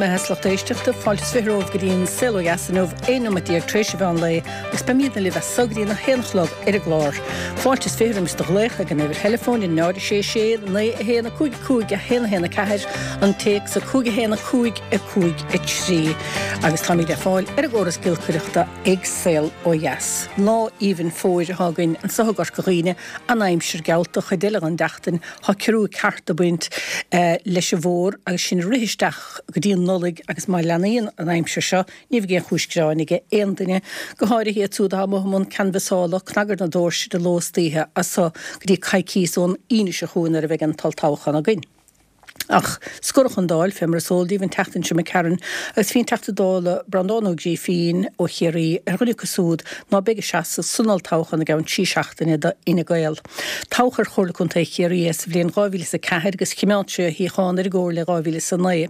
maitheas lucht éisteachta, fáilte is 20 romhaibh go dtí an Saol Ó Dheas inniu, 11 nóimeat tar éis an mheán lae agus beimidne libh as so go dtí an 1 a chlog ar an gclár. Fáilte is 20 roimis do ghlaoch ag an uimhir theileafóin 0 6 6 9 1 5 5 1 1 4, an téacs 5 1 5 5 3 agus táimid le fáil ar an gcóras giolcaireachta ag Saol Ó Dheas. Lá aoibhinn fómhair atá againn anso i gCorca Dhuibhne, an aimsir geallta chuid eile den tseachtain Tá ciorrú ceart ag baint leis an bhfómhar agus sinn ag rith isteach go dtí an Nollaig agus má leanaíonn an aimsir seo ní bheidh aon chúis gearáin aige aon duine, go háirithe iad siúd atá amuigh i mbun canbhasála, cnag ar na doirse de ló is d'oíche as so go dtí coicíos ón Aoine seo chugainn nuair a bheidh an t-olltoghchán againn. Ach scoradh an Dáil, fé mar is eol daoibh, an tseachtain seo imigh tharainn, agus bhí an Teachta Dála Breandán Ó Grífín ó Chiarraí ar dhuine acu súd ná beidh ag seasamh san olltoghchán i gceann 3 seachtaine do Fhine Gael. Toghadh ar Chomhairle Contae Chiarraí é sa bhliain 2004 agus chimeád sé a shuíochán ar an gComhairle i 2009.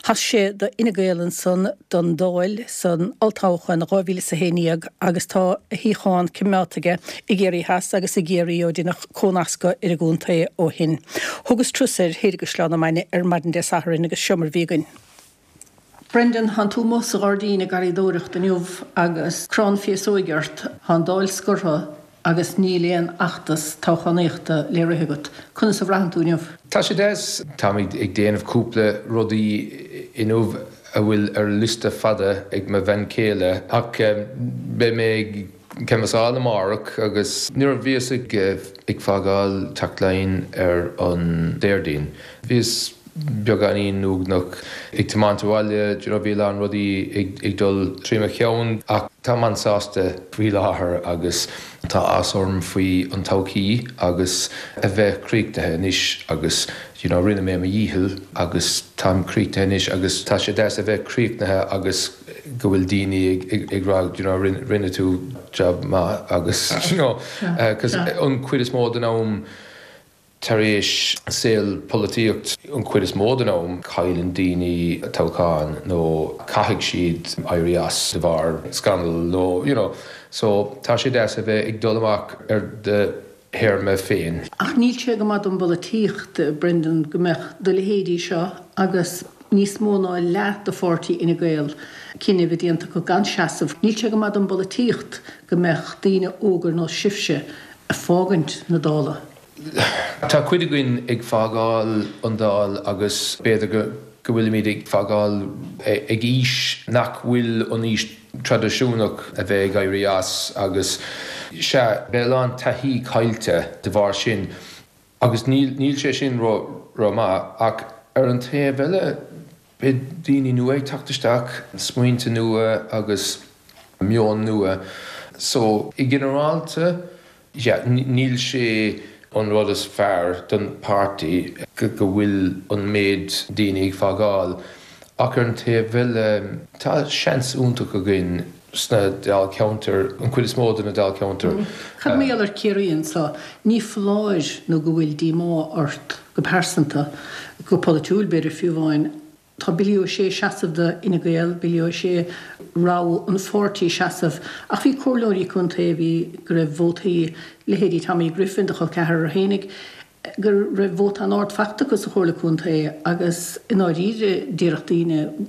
Sheas sé do Fhine Gael ansan don Dáil san olltoghchán i 2011 agus tá a shuíochán cimeádta aige i gCiarraí Theas agus i gCiarraí ó deineadh cónascadh ar an gcontae ó shin. Thugas turas air thoir i gCaisleán na Mainge ar maidin Dé Sathairn agus seo mar bhí againn. Brendan, Thánn tú amuigh sa ghairdín ag garraíodóireacht inniu agus crann féasóige ort. Tá an Dáil scortha agus níl aon fheachtas toghchánaíochta le rith agat. Conas a bhraitheann tú inniu? Tá sé deas. Táimid ag déanamh cúpla rudaí inniu a bhfuil ar liosta fada ag mo bhean chéile ach beidh mé ag canbhasáil amárach agus nuair a bhíos ag ag fágáil Teach Laighean ar an Déardaoin bhíos beagáinín uaigneach ag tiomáint abhaile, do you know, bhí a lán rudaí ag dul trí mo cheann ach táim an-sásta faoi láthair agus tá áthas orm faoi an todhchaí agus a bheith críochnaithe anois agus you know, rinne mé mo dhícheall agus táim críochnaithe anois agus tá sé deas a bheith críochnaithe agus go bhfuil daoine ag rá you know, rinne tú job maith agus you know, 'cause an chuid is mó den am Tar éis saol polaitíocht an chuid is mó den am, cailleann daoine toghchán nó caithfidh siad éirí as de bharr scannal nó you know so tá sé deas a bheith ag dul amach ar do théarma féin. Ach níl sé go maith don bpolaitíocht, Brendan, go mbeadh do leithéidí seo agus níos mó ná leath de pháirtí Fhine Gael cinneadh a bheith déanta acu gan seasamh. Níl sé go maith don bpolaitíocht go mbeadh daoine óga ar nós sibhse ag fágaint na Dála. Tá cuid againn ag fágáil an Dáil agus b'fhéidir go bhfuilimid ag fágáil ag aois nach bhfuil an aois traidisiúnach a bheith ag éirí as agus sea, beidh a lán taithí caillte de bharr sin agus níl sé sin ró-mhaith ach ar an taobh eile beidh daoine nua ag teacht isteach, smaointe nua agus meon nua so i ginearálta Yeah, níl sé an rud is fearr don páirtí go bhfuil an méid daoine ag fágáil ach ar an taobh eile tá seans iontach againn sna dáilcheantair, an chuid is mó de na dáilcheantair. Cad mar gheall ar Ciarraí anso? Ní foláir nó go bhfuil díomá ort go pearsanta, go polaitiúil b'fhéidir fiú amháin, Tá Billy O'Shea ag seasamh do Fhine Gael, Billy O'Shea rogha an pháirtí seasamh ach bhí comhairleoirí contae a bhí go raibh vótaí, leithéidí Tommy Griffin, do chol ceathrar fhéinig, go raibh vóta an-ard faighte acu sa chomhairle contae agus i ndáiríre déarfadh daoine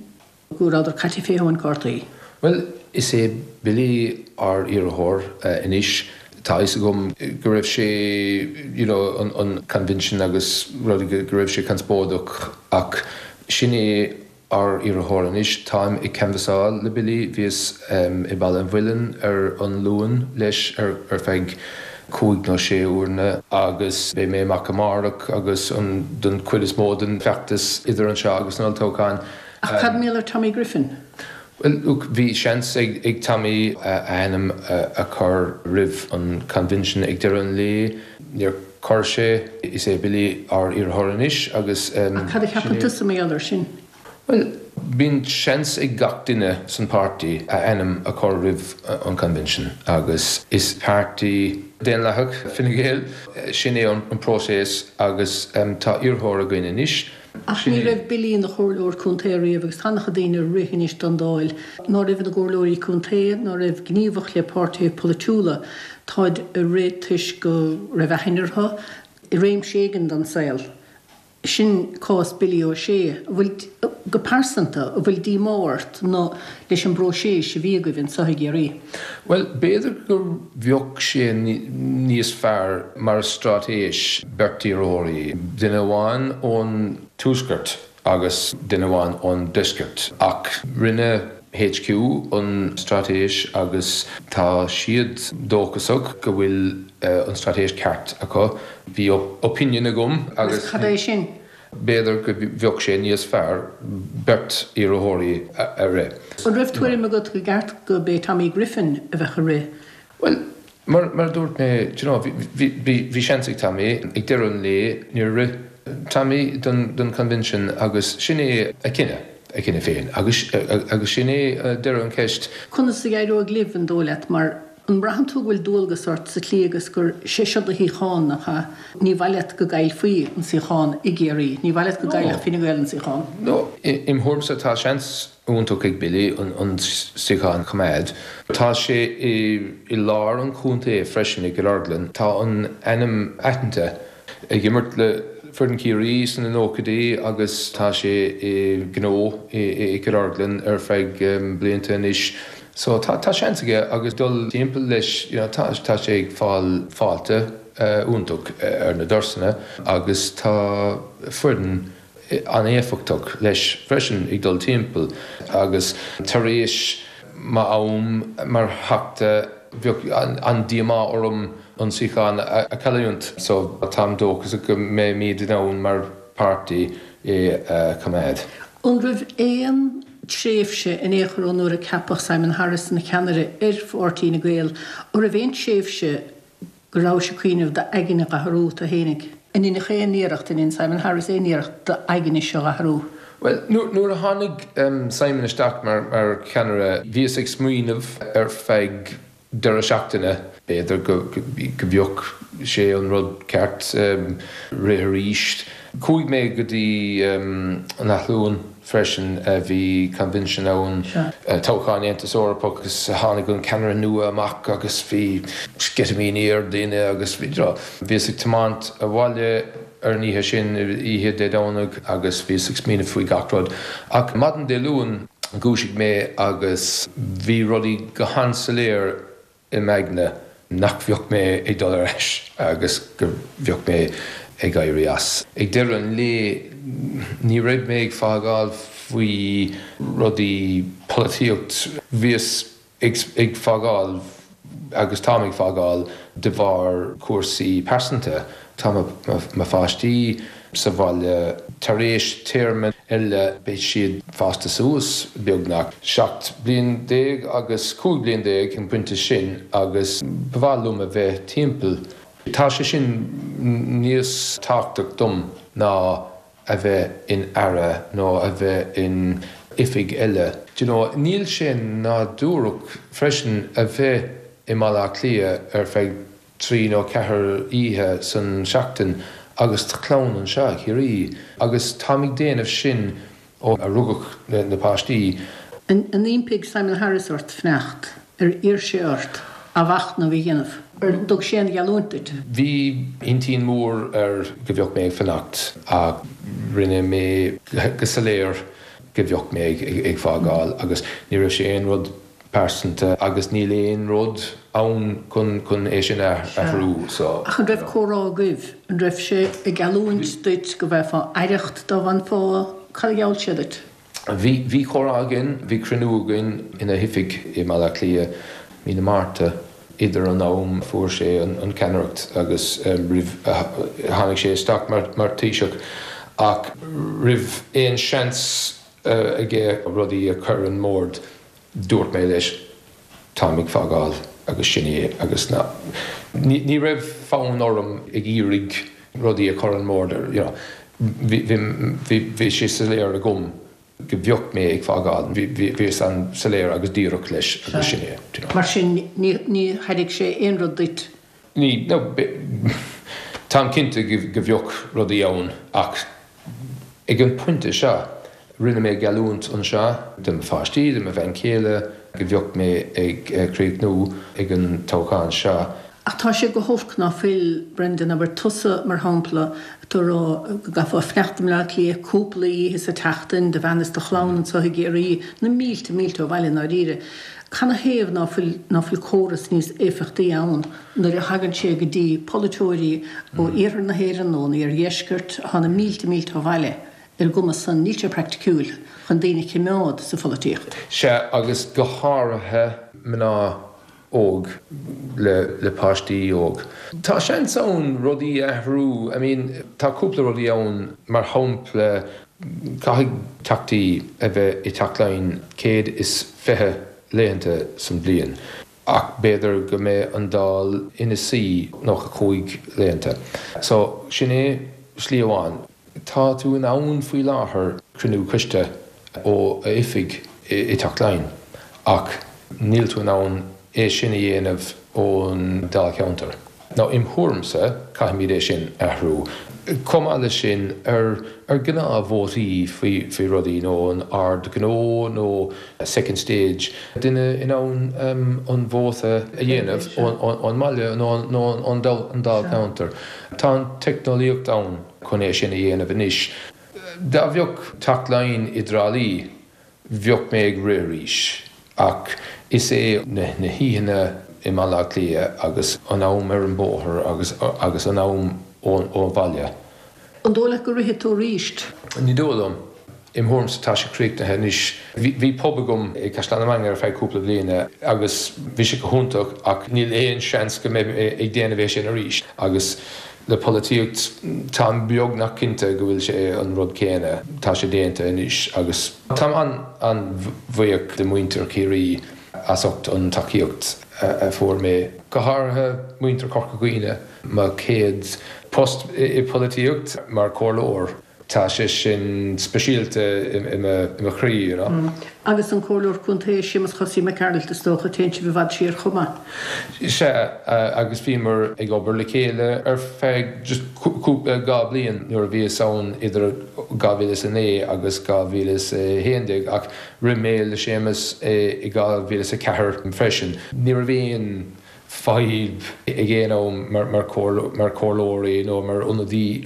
go rabhadar caite fé thóin cártaí. Bhuel, is é Billy ár iarrthóir anois. Tá a fhios agam go raibh sé, you know, an convention agus rudaí, go raibh sé conspóideach ach sin é ár iarrthóir anois. Táim ag canbhasáil le Billy. Bhíos i mBaile an Mhuilinn ar an Luan leis ar feadh cúig nó sé uaireanna agus beidh mé amach amárach agus an don chuid is mó den feachtas idir anseo agus an olltoghchán. Ach cad mar gheall ar Tommy Griffin? Bhuel, look, bhí seans ag Tommy a ainm a chur roimh an convention ag deireadh an lae. Níor chuir sé. Is é Billy ár iarrthóir anois agus sin é. Ach cad a cheapann tusa mar gheall air sin? Bhuel, bíonn seans ag gach duine san páirtí a ainm a chur roimh an convention agus is páirtí daonlathach Fine Gael. Sin é an próiseas agus tá iarrthóir againn anois. Ach ní raibh Billy ina chomhairleoir contae riamh agus tá an-chuid daoine ag rith anois don Dáil ná raibh ina gcomhairleoirí contae, ná raibh gníomhach le páirtithe polaitiúla. Táid ag rith toisc go raibh aithne orthu i réimse éigin den saol. Sin cás Billy O'Shea. An bhfuil, go pearsanta, an bhfuil díomá ort nó leis an bpróiseas a bhí agaibh anseo i gCiarraí? Bhuel, b'fhéidir go bheadh sé níos fearr mar straitéis beirt iarrthóirí, duine amháin ón tuaisceart agus duine amháin ón deisceart. Ach rinne HQ an straitéis agus tá siad dóchasach go bhfuil an straitéis ceart acu. Bhí opinion agam agus. Cad é sin? B'fhéidir go bheadh sé níos fearr beirt iarrthóirí a rith. An raibh tuairim agat go gceart go b'é Tommy Griffin a bheadh ag rith? Bhuel, mar a dúirt mé, do you know, bhí seans ag Tommy. Ag deireadh an lae, níor rith Tommy don convention agus sin é a chinneadh, a chinneadh féin agus sin é deireadh an cheist. Conas a éireoidh libh, an dóigh leat, mar An mbraitheann tú go bhfuil dualgas ort sa tslí agus gur sé seo do shuíochán, nach ea? Ní mhaith leat go gcaillfí an suíochán i gCiarraí. Ní mhaith leat go gcaillfeadh Fine Gael an suíochán. No, im thuairimse tá seans iontach ag Billy an suíochán a choimeád. Tá sé i lár an chontae freisin i gCill Orglan. Tá an ainm aitheanta. Ag imirt le foireann Chiarraí sna nóchaidí agus tá sé i ngnó i gCill Orglan ar feadh blianta anois so tá tá seans aige agus dul timpeall leis you know tá tá sé ag fáil fáilte iontach ar na doirseanna agus tá foireann an-éifeachtach leis freisin ag dul timpeall agus tar éis m'am mar Theachta bheadh an-díomá orm an suíochán a chailliúint so táim dóchasach go mbeimid in ann mar pháirtí é a choimeád. An raibh aon tréimhse in aon chor ó nuair a ceapadh Simon Harris ina cheannaire ar Pháirtí Fhine Gael, an raibh aon tréimhse go rabhais ag cuimhneamh d'aigne dh'athrú tú fhéinig? An ndeineadh aon iarracht, an ndein Simon Harris aon iarracht d'aigne seo dh'athrú? Bhuel, nuair a tháinig Simon isteach mar cheannaire, bhíos ag smaoineamh ar feadh deireadh seachtaine, b'fhéidir go bheadh sé an rud ceart rith arís. Chuaigh mé go dtí an Athlone freisin, bhí convention ann, toghchán Aontas Eorpach agus tháinig an ceannaire nua amach agus bhí sceitimíní ar daoine agus bhí, you know, bhíos ag tiomáint abhaile ar an oíche sin, oíche Dé Domhnaigh agus bhíos ag smaoineamh faoi gach rud. Ach maidin Dé Luain dhúisigh mé agus bhí rudaí go han-soiléir i m'aigne nach bheadh mé ag dul ar ais agus go bheadh mé ag éirí as. Ag deireadh an lae ní raibh mé ag fágáil faoi rudaí polaitíocht, bhíos ag fágáil agus táim ag fágáil de bharr cúrsaí pearsanta. Tá mo pháistí sa bhaile tar éis téarma eile beidh siad fásta suas beagnach, 17 bliain agus 15 bliain an pointe sin agus ba mhaith liom a bheith timpeall. Tá sé sin níos tábhachtach dom ná a bheith in aire nó a bheith in oifig eile. Do you know, níl sé nádúrach freisin a bheith i mBaile Átha Cliath ar feadh 3 nó 4 oíche san seachtain agus do chlann anseo i gCiarraí agus táim ag déanamh sin ó a rugadh na páistí. An impigh Simon Harris ort fanacht? Ar iarr sé ort athmhachnamh a dhéanamh? Ar thug sé aon gheallúint duit? Bhí intinn mhór air go bheadh mé ag fanacht ach rinne mé go soiléir go bheadh mé ag fágáil agus ní raibh sé aon rud pearsanta agus níl aon rud ann chun é sin a athrú so. Ach an raibh comhrá agaibh? An raibh sé ag geallúint duit go bhfaighfeá aireacht dá bhfanfá? Cad a gheall sé duit? Bhí, bhí comhrá againn, bhí cruinniú againn ina oifig i mBaile Átha Cliath mí na Márta, idir an am a fuair sé an ceannaireacht agus roimh a tháinig sé isteach mar Taoiseach. Ach roimh aon seans aige rudaí a chur ar an mbord, Dúirt mé leis, táim ag fágáil agus sin é agus ná, ní raibh fonn orm ag iarraidh rudaí a chur an mbord, you know, bhí, bhí, bhí sé soiléir agam go bheadh mé ag fágáil, bhí, bhíos an-soiléir agus díreach leis agus sin é, you know. Mar sin ní, ní thairg sé aon rud duit? Ní, no, táim cinnte go bheadh rudaí ann ach ag an pointe seo, rinne mé geallúint anseo do mo pháistí, do mo bhean chéile, go bheadh mé ag críochnú ag an toghchán seo. Ach tá sé go holc ná fuil, Brendan, abair tusa mar shampla, atá ag rá go gcaithfeá fanacht i mBleá Cliath cúpla oíche sa tseachtain, do bhean is do chlann anseo i gCiarraí, na mílte mílte ó bhaile i ndáiríre. Canathaobh ná fuil, ná fuil córas níos éifeachtaí ann nuair a thagann sé go dtí polaiteoirí ó iarthar na hÉireann nó ón iardheisceart atá na mílte mílte ó bhaile ar an gcuma san, níl sé praiticiúil chun daoine a chimeád sa pholaitíocht. Sea, agus go háirithe mná óg le páistí óg. Tá seans ann rudaí a athrú, I mean tá cúpla rudaí ann, mar shampla caithfidh teachtaí a bheith i Teach Laighean 120 laethanta san bliain ach b'fhéidir go mbeidh an Dáil ina suí 95 laethanta. So sin é slí amháin. Tá tú in ann faoi láthair cruinniú coiste ó oifig i dTeach Laighean ach níl tú in ann é sin a dhéanamh ón Dáilcheantar. Now im thuairimse caithfimid é sin a athrú. Chomh maith leis sin ar ar gnáth-vótaí faoi faoi rudaí nó an Ard Gnó nó second stage, duine in ann an vóta a dhéanamh ón mbaile nó ón Dáilcheantar. Tá an teicneolaíocht ann chun é sin a dhéanamh anois. Dá bheadh Teach Laighean i dTrá Lí, bheadh mé ag rith arís. Ach is é na hoícheanna i mBaile Átha Cliath agus an am ar an bóthar agus agus an am ó bhaile. An dóigh leat go rithfidh tú arís? Ní dóigh liom. Im thuairimse tá sé críochnaithe anois. Bhí pub agam i gCaisleán na Mainge ar feadh cúpla bliana agus bhí sé go hiontach ach níl aon seans go mbeidh mé ag déanamh é sin arís agus le polaitíocht táim beagnach cinnte go bhfuil sé an rud céanna, tá sé déanta anois agus táim an-an-bhuíoch de mhuintir Chiarraí as ucht an tacaíocht a fuair mé, go háirithe muintir Chorca Dhuibhne, mo chéad post i polaitíocht mar chomhairleoir. Tá sé sin speisialta i mo chroí, you know. Agus an Comhairleoir Contae, Séamus Chosaí Mac Gearailt, is dócha, téann sibh i bhfad siar chomh maith. Sea, agus bhíomar ag obair le chéile ar feadh just cúpla, 2 bliain nuair a bhíos ann idir 2009 agus 2011 ach rith mé le Séamus i 2004 freisin. Ní raibh aon fadhb ag aon am mar chomhairleoirí nó mar ionadaí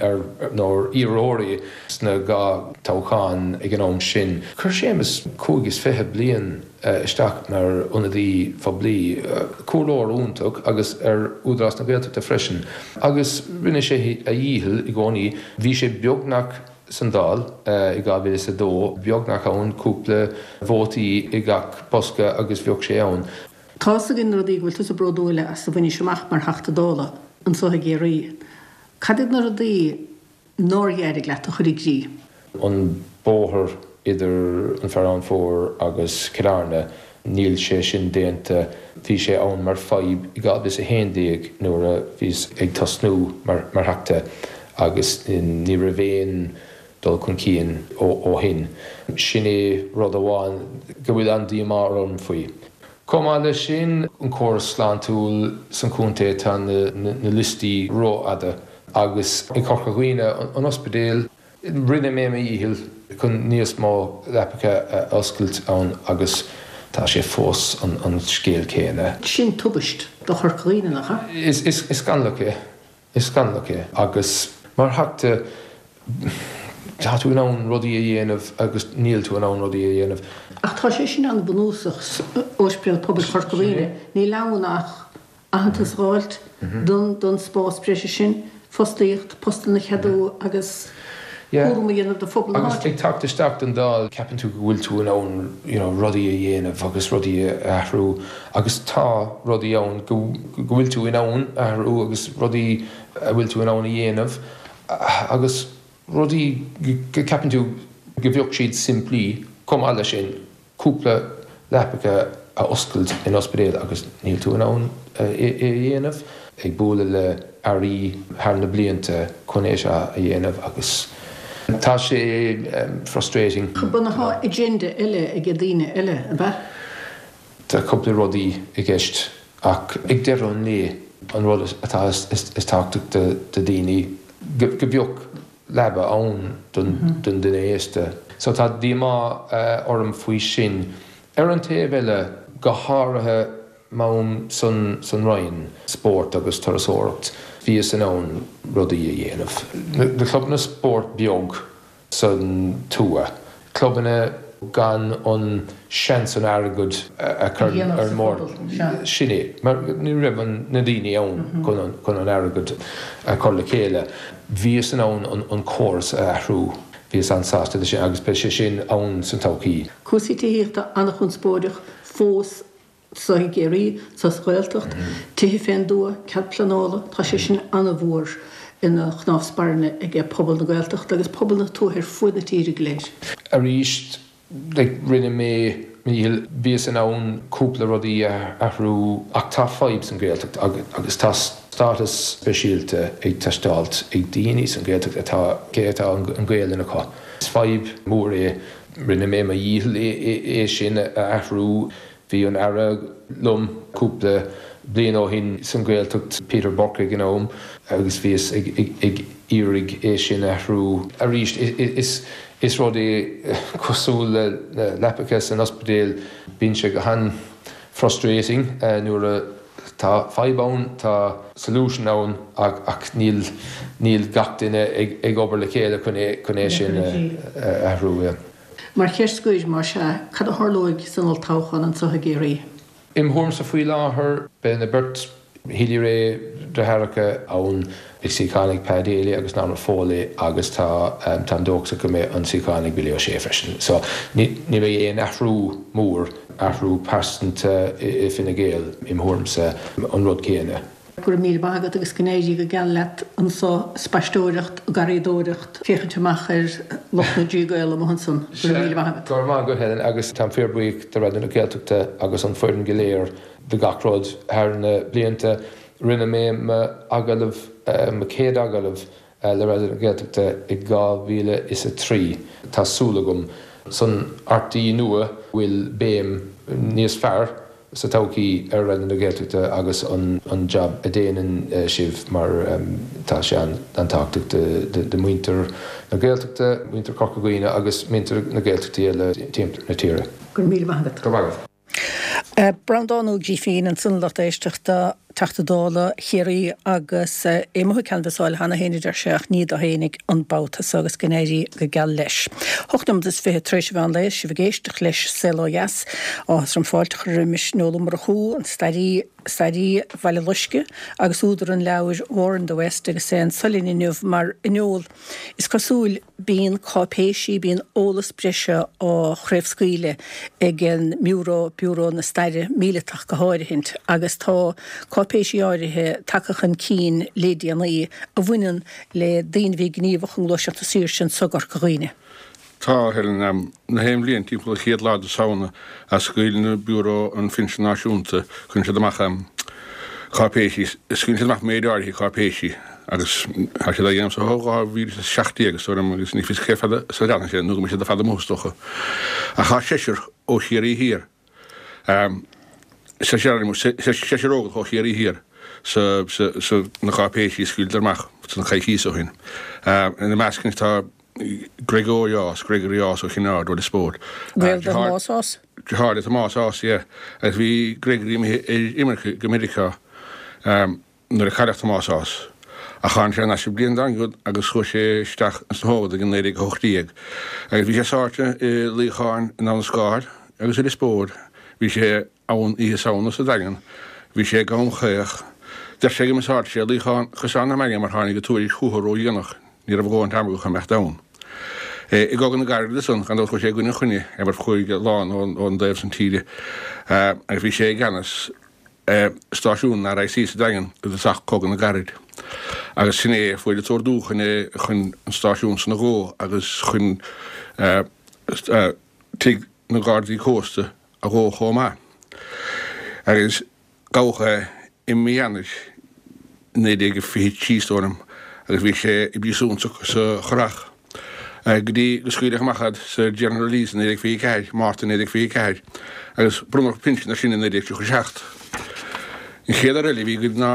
nó mar iarrthóirí sna 2 toghchán ag an am sin. Chuir Séamus 25 bliain isteach mar ionadaí poiblí, comhairleoir iontach agus ar Údarás na Gaeltachta freisin agus rinne sé a dhícheall i gcónaí. Bhí sé beagnach san Dáil i 2002, beagnach ann, cúpla vótaí i gach bosca agus bheadh sé ann. Tá's againn na rudaí go bhfuil tusa bródúil as a bhainis amach mar Theachta Dála anso i gCiarraí. Cad iad na rudaí nár éirigh leat a chur i gcrích? An bóthar idir an Fearann Fómhair agus Cill Airne, níl sé sin déanta. Bhí sé ann mar fadhb i 2011 nuair a bhíos ag tosnú mar Theachta agus ní raibh aon dul chun cinn ó shin. Sin é rud amháin go bhfuil an-díomá orm faoi. Chomh maith leis sin, an córas sláintiúil san chontae, tá na liostaí rófhada agus i Corca Dhuibhne, an ospidéal, rinne mé mo dhícheall chun níos mó leapacha a oscailt ann agus tá sé fós an scéal céanna. Sin tubaist do Chorca Dhuibhne, nach ea? Is scannalach é. Is scannalach é agus mar Theachta tá tú in ann rudaí a dhéanamh agus níl tú in ann rudaí a dhéanamh. Ach tá sé sin an-bhunúsach, Ospidéal Pobail Chorca Dhuibhne, níl ann ach aitheantas a dh'fháilt don spás breise sin, fostaíocht, postanna a cheadú agus cúram a dhéanamh de phobal na háite. Agus ag teacht isteach don Dáil ceapann tú go bhfuil tú in ann you know rudaí a dhéanamh agus rudaí a athrú agus tá rudaí ann go bhfuil tú in ann a athrú agus rudaí a bhfuil tú in ann a dhéanamh agus rudaí go gceapann tú go bheadh siad simplí chomh maith leis sin. cúpla leapacha a oscailt in ospidéal agus níl tú in ann é a dhéanamh. Ag bualadh le airí thar na blianta chun é seo a dhéanamh agus tá sé frustrating. Tá agenda eile ag daoine eile, ab ea? Tá cúpla rudaí i gceist ach ag deireadh an lae an rud atá is tábhachtach do daoine go bheadh leaba ann don duine aosta. So tá díomá orm faoi sin. Ar an taobh eile, go háirithe. M'am san san Roinn Spóirt agus Turasóireacht bhíos in ann rudaí a dhéanamh. Na clubanna spóirt beag san tuath, clubanna gan an seans an airgead a chur ar an mbord, sin é, mar ní raibh na daoine ann chun an airgead a chur le chéile. Bhíos in ann an córas a athrú. Bhíos an-sásta leis sin agus beidh sé sin ann san todhchaí. Cúrsaí tithíochta an-chonspóideach fós Anseo i gCiarraí, sa Ghaeltacht, tithe fén dtuath, cead pleanála, tá sé sin an-mhór ina chnámh spairne ag pobal na Gaeltachta agus pobal na tuaithe ar fuaid na tíre go léir. Arís, like, rinne mé mo dhícheall, bhíos in ann cúpla rudaí a athrú ach tá fadhb san Ghaeltacht agus tá stádas speisialta ag teastáilt ag daoine san Ghaeltacht atá, cé atá an Ghaelainn acu. Is fadhb mhór é. Rinne mé mo dhícheall é sin a athrú. Bhí an Aire liom cúpla bliain ó shin san Ghaeltacht, Peter Burke ag an am, agus bhíos ag iarraidh é sin a athrú. Arís, is rud é cosúil le leapacha san ospidéal, bíonn sé go han-frustrating nuair a tá fadhb ann, tá solution ann ach níl níl gach duine ag obair le chéile chun é chun é sin a athrú. Mar cheist scoir, más ea, cad a tharlóidh san olltoghchán anseo i gCiarraí? Im thuairimse faoi láthair, beidh na beirt Healy-Rae deartháireacha ann, beidh suíochán ag Pa Daly agus Norma Foley agus tá táim dóchasach go mbeidh an suíochán ag Billy O'Shea freisin. So ní beidh aon athrú mór, athrú pearsanta i Fine Gael im thuairimse, an rud céanna. Go raibh míle maith agat agus go n-éirí go geal leat anso, spaisteoireacht, garraíodóireacht, féachaint amach ar lucht na dTrí Gael amuigh ansan. Go raibh míle maith agat. Go raibh maith agat Helen agus táim fíor buíoch de Raidió na Gaeltachta agus an foireann go léir do gach rud thar na blianta. Rinne mé m'agallamh, mo chéad agallamh le Raidió na Gaeltachta i 2003. Tá súil agam san RTÉ nua bhfuil béim níos fearr sa todhchaí ar Raidió na Gaeltachta agus an jab a déanann sibh mar tá sé an-tábhachtach do mhuintir na Gaeltachta, muintir Chorca Dhuibhne agus muintir na Gaeltachtaí eile timpeall na tíre. Go raibh míle maith agat. Go raibh maith agat. Breandán Ó Grifín ansan a lucht éisteachta, Teachta Dála Chiarraí agus é amuigh ag canbhasáil cheana féin a deir sé ach ní dó fhéinig an babhta so agus go n-éirí go geal leis. Hocht nóiméad is 20 tar éis an mheán lae, sibh ag éisteacht leis Saol Ó Dheas. Áthas orm fáilte a chur roimis Noel Ó Murchú, an stairí, stairí Bhaile Loiscthe agus údar an leabhair War in the West agus é anso linn inniu mar a Noel is cosúil Bíonn cáipéisí, bíonn eolas breise á chraobhscaoileadh ag an mBiúró, Biúró na Staire Míleatach go háirithint, agus tá cáipéisí áirithe tagtha chun cinn le déanaí a bhaineann le daoine a bhí gníomhach i nGluaiseacht na Saoirse anso i gCorca Dhuibhne. Tá, Helen. Na haon bhliain, timpeall an chéad lá de Samhna, a scaoileann Biúró an Phinsin Náisiúnta, cuireann siad amach cáipéisí, scaoileann siad amach méid áirithe cáipéisí agus tá siad á dhéanamh so ó 2017 is dóigh liom agus ní fios cé fada is a leanfaidh sé nó go mbeidh siad i bhfad amuigh is dócha. Ach tá seisear ó Chiarraí Thiar, seisear óglach ó Chiarraí Thiar sa, sa, na cáipéisí a scaoileadar amach san coicíos ó shin. Ina measc tá Gregory Ághas, Gregory Ághas ó Chinn Aird ó Lios Póil. Gaol do Thomás Ághas? Deartháir le Tomás Ághas, yeah. Agus bhí Gregory imithe ar imirce go Meiriceá nuair a cailleadh Tomás Ághas. Ach tháinig sé thar n-ais an bhliain dár gcionn agus chuaigh sé isteach ins na hÓglaigh i 1918. Agus bhí sé sáite i luíocháin in Abha na Scáil agus i Lios Póil. Bhí sé ann Oíche Samhna sa Daingean. Bhí sé i gCom Chaoch. Deir sé gur mhiseáil sé luíochán Chaisleán na Mainge mar tháinig an tuairisc chucu ródhéanach. Ní raibh a dhóthain ama acu chun imeacht ann. I gCogadh na gCarad ansan, gan dabht chuaigh sé i gcoinne an Chruinnithe, é mar chuaigh a lán ón dtaobh san tíre, agus bhí sé i gceannas stáisiún an RIC sa Daingean i dtosach Cogadh na gCarad. Agus sin é a fuair an t-ordú chun é chun an stáisiún san a dhó agus chun tigh na Gardaí Cósta a dhó chomh maith. Agus gabhadh é i mí Eanáir 1923 is dóigh liom agus bhí sé i bpríosún sa Churrach go dtí go scaoileadh amach é sa General Release i 1924, Márta 1924, agus bronnadh pinsean air sin i 1937. An chéad fhear eile a bhí againn ná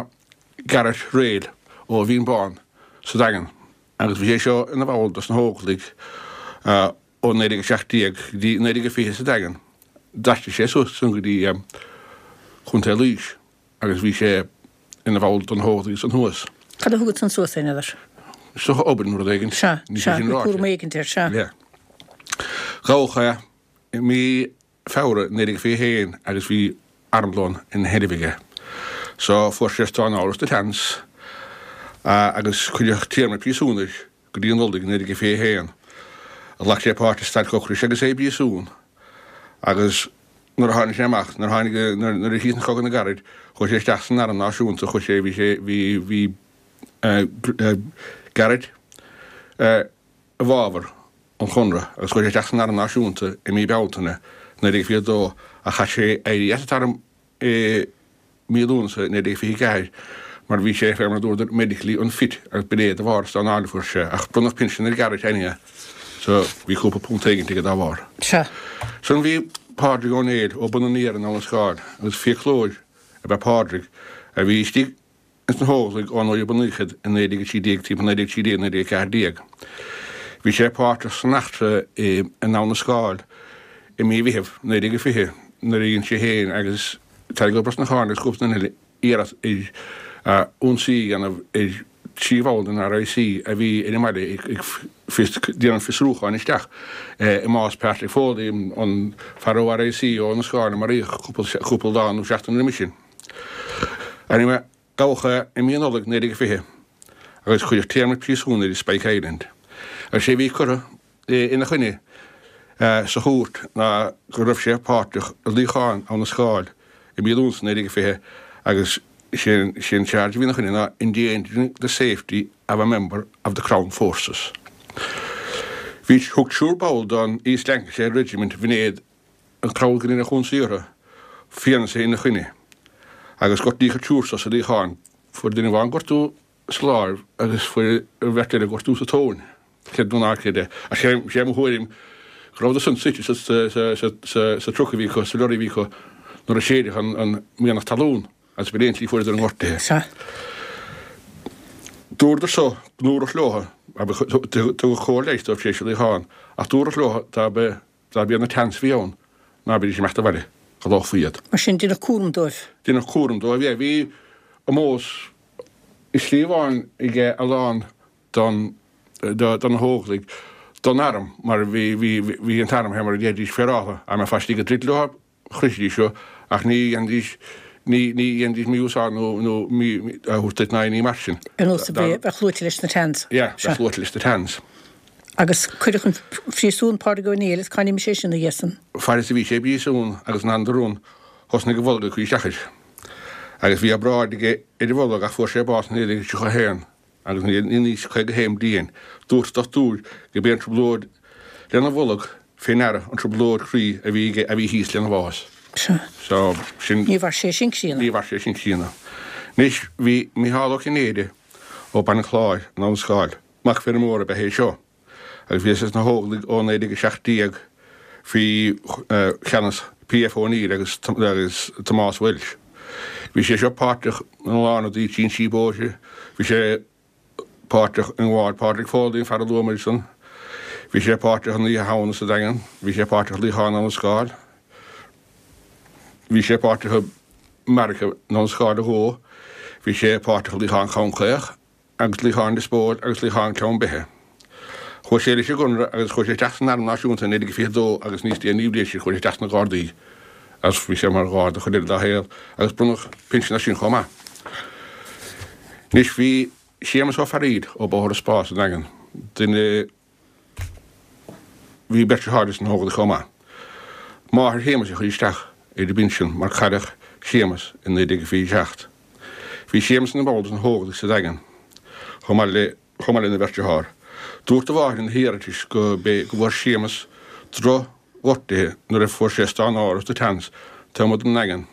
Garrett Rale ó Bhinn Bán sa Daingean agus bhí sé seo ina bhall dos na hÓglaigh Ó 1917 go dtí 1920 sa Daingean. D'aistrigh sé suas ansan go dtí. Chontae Laois agus bhí sé ina bhall de na hÓglaigh ansan thuas. Cad a thugadh san suas é, n'fheadar? Is dócha obair nó rud éigin. Sea, sea, bhí cúram éigint air, sea. Yeah. Gabhadh é i mí Feabhra 1921 agus bhí armlón ina sheilbh aige. So fuair sé stánáil sna Tans agus cuireadh téarma príosúin air go dtí an Nollaig 1921. Ghlac sé páirt i stailc ocrais agus é i bpríosún agus nuair a tháinig sé amach, nuair a tháinig, nuair a chríochnaigh Cogadh na gCarad, chuaigh sé isteach san Arm Náisiúnta, chuaigh sé, bhí sé, bhí, bhí Garrett i bhfabhar an Chonradh agus chuaigh sé isteach san Arm Náisiúnta i mí Bealtaine 1922 ach chaith sé éirí as an t-arm i mí Lúnasa 1924 mar bhí sé, fé mar a dúradar, medically unfit agus b'in é de bharr stánáil a fuair sé ach bronnadh pinsean ar Garrett anyhow so bhí cúpla punt éigint aige dá bharr. Sea. Ansan bhí Pádraig Ó Néill ó Bun an Iarainn in Abha na Scáil agus fiaclóir ab ea Pádraig a bhí istigh ins na hÓglaigh ó nuair a bunaíodh iad i 1913, timpeall 1913, 1914. Bhí sé páirteach san eachtra in Abha na Scáil i mí Mheithimh 1920 nuair a dhein sé féin agus Tadhg Ó Brosnacháin agus cúpla duine eile iarracht ar ionsaí a dhéanamh ar thrí bhall den RIC a bhí ar an mbaile ag déanamh fiosrúcháin isteach i mbás Patrick Foley, an fear ó RIC ó Abha na Scáil a maraíodh cúpla lá nó seachtain roimis sin. Anyway, gabhadh é i mí Nollag 1920 agus cuireadh téarma príosúin air i Spike Island. Agus sé a bhí curtha ina choinne sa chúirt ná go raibh sé páirteach i luíochán Abha na Scáil i mí Lúnasa 1920 agus sé an charge a bhí ina choinne ná endangering the safety of a member of the Crown Forces. Bhí, thug triúr ball den East Lancashire Regiment b'in iad an cabhlach a rinne an t-ionsaí orthu, fianaise ina choinne agus gortaíodh an triúr so sa luíochán. Fuair duine amháin gortú sa láimh agus fuair an bheirt eile gortú sa tóin. Creid nó ná creid é. Ach sé sé mo thuairim go rabhadar san suite sa sa sa sa truck a bhí acu, sa lorry a bhí acu nuair a séideadh an an mianach talún agus b'in é an tslí fuaireadar a ngortuithe. Sea. Dúradar so go ndúradh leo, tugadh cóir leighis dóibh tar éis an luíocháin, ach dúradh leo dá mba Dá mb'iad na Tans a bhí ann, ná beidís ag imeacht abhaile, go lóchfaí iad. Mar sin, deineadh cúram dóibh. Deineadh cúram dóibh, yeah. Bhí ómós i slí amháin ag a lán don, do na hÓglaigh, don arm, mar bhí, bhí, bhí an t-arm, fé mar a deiridís, féaráltha. Dá mbeifeá istigh ag troid leo, chroithfidís thú, ach ní dhéanfaidís, ní, ní dhéanfaidís mí-úsáid nó, nó mí, a thabhairt duit ná aon ní mar sin. Ar nós a bheith luaite leis na Tans. Yeah, bheith luaite leis na Tans. Agus cuireadh chun phríosúin Pádraig Ó Néill, is cá n-imigh sé sin, a Jason? Fad is a bhí sé i bpríosún agus in ann do rún, thosnaigh a bholg ag cur isteach air. Agus bhí obráid aige ar a bholg ach fuair sé bás in 1931. Agus in aois 51 bliain, dúirt dochtúir gurb é an trioblóid lena bholg fé ndeara an trioblóid chroí a bhí aige a bhí thíos lena bhás. Sea. So, sin. Ní mhair sé sin críonna. Ní mhair sé sin críonna. Anois, bhí Micheál Ó Cinnéide ó Baile an Chláir in Abha na Scáil, mac feirmeora ab ea é seo. agus bhí sé sna hÓglaigh ó 1917 faoi cheannas P.F. O'Neill agus Tomás Walsh. Bhí sé seo páirteach ina lán rudaí, trinsí bóithre, bhí sé páirteach i ngabháil Pádraig Foley, an fear a luamar ansan, bhí sé páirteach in Oíche Shamhna sa Daingean, bhí sé páirteach i Luíochán Abha na Scáil, bhí sé páirteach i mbeairic in Abha na Scáil a dhó, bhí sé páirteach i Luíochán Chonn Caoch. agus Luíochán Lios Póil agus Luíochán Ceann Beithe. Chuaigh sé leis an gConradh agus chuaigh sé isteach san Arm Náisiúnta in 1922 agus níos déanaí an bhliain sin chuaigh sé isteach sna Gardaí agus bhí sé mar Gharda chuid eile dá shaol agus bronnadh pinsean as sin chomh maith. Anois bhí Séamus Ó Fearaíl ó Bóthar an Spá sa Daingean, duine Bhí beirt deartháir sna hÓglaigh chomh maith. Máthair Shéamais a chuir isteach ar an bpinsean mar cailleadh Séamas i 1927. Bhí Séamas ina bhall de na hÓglaigh sa Daingean chomh maith le chomh maith lena bheirt dearthár. Dúirt a mháthair ina hiarratas go b'é go bhfuair Séamas droch ghortuithe nuair a fuair sé stánáil sna Tans taobh amuigh den nDaingean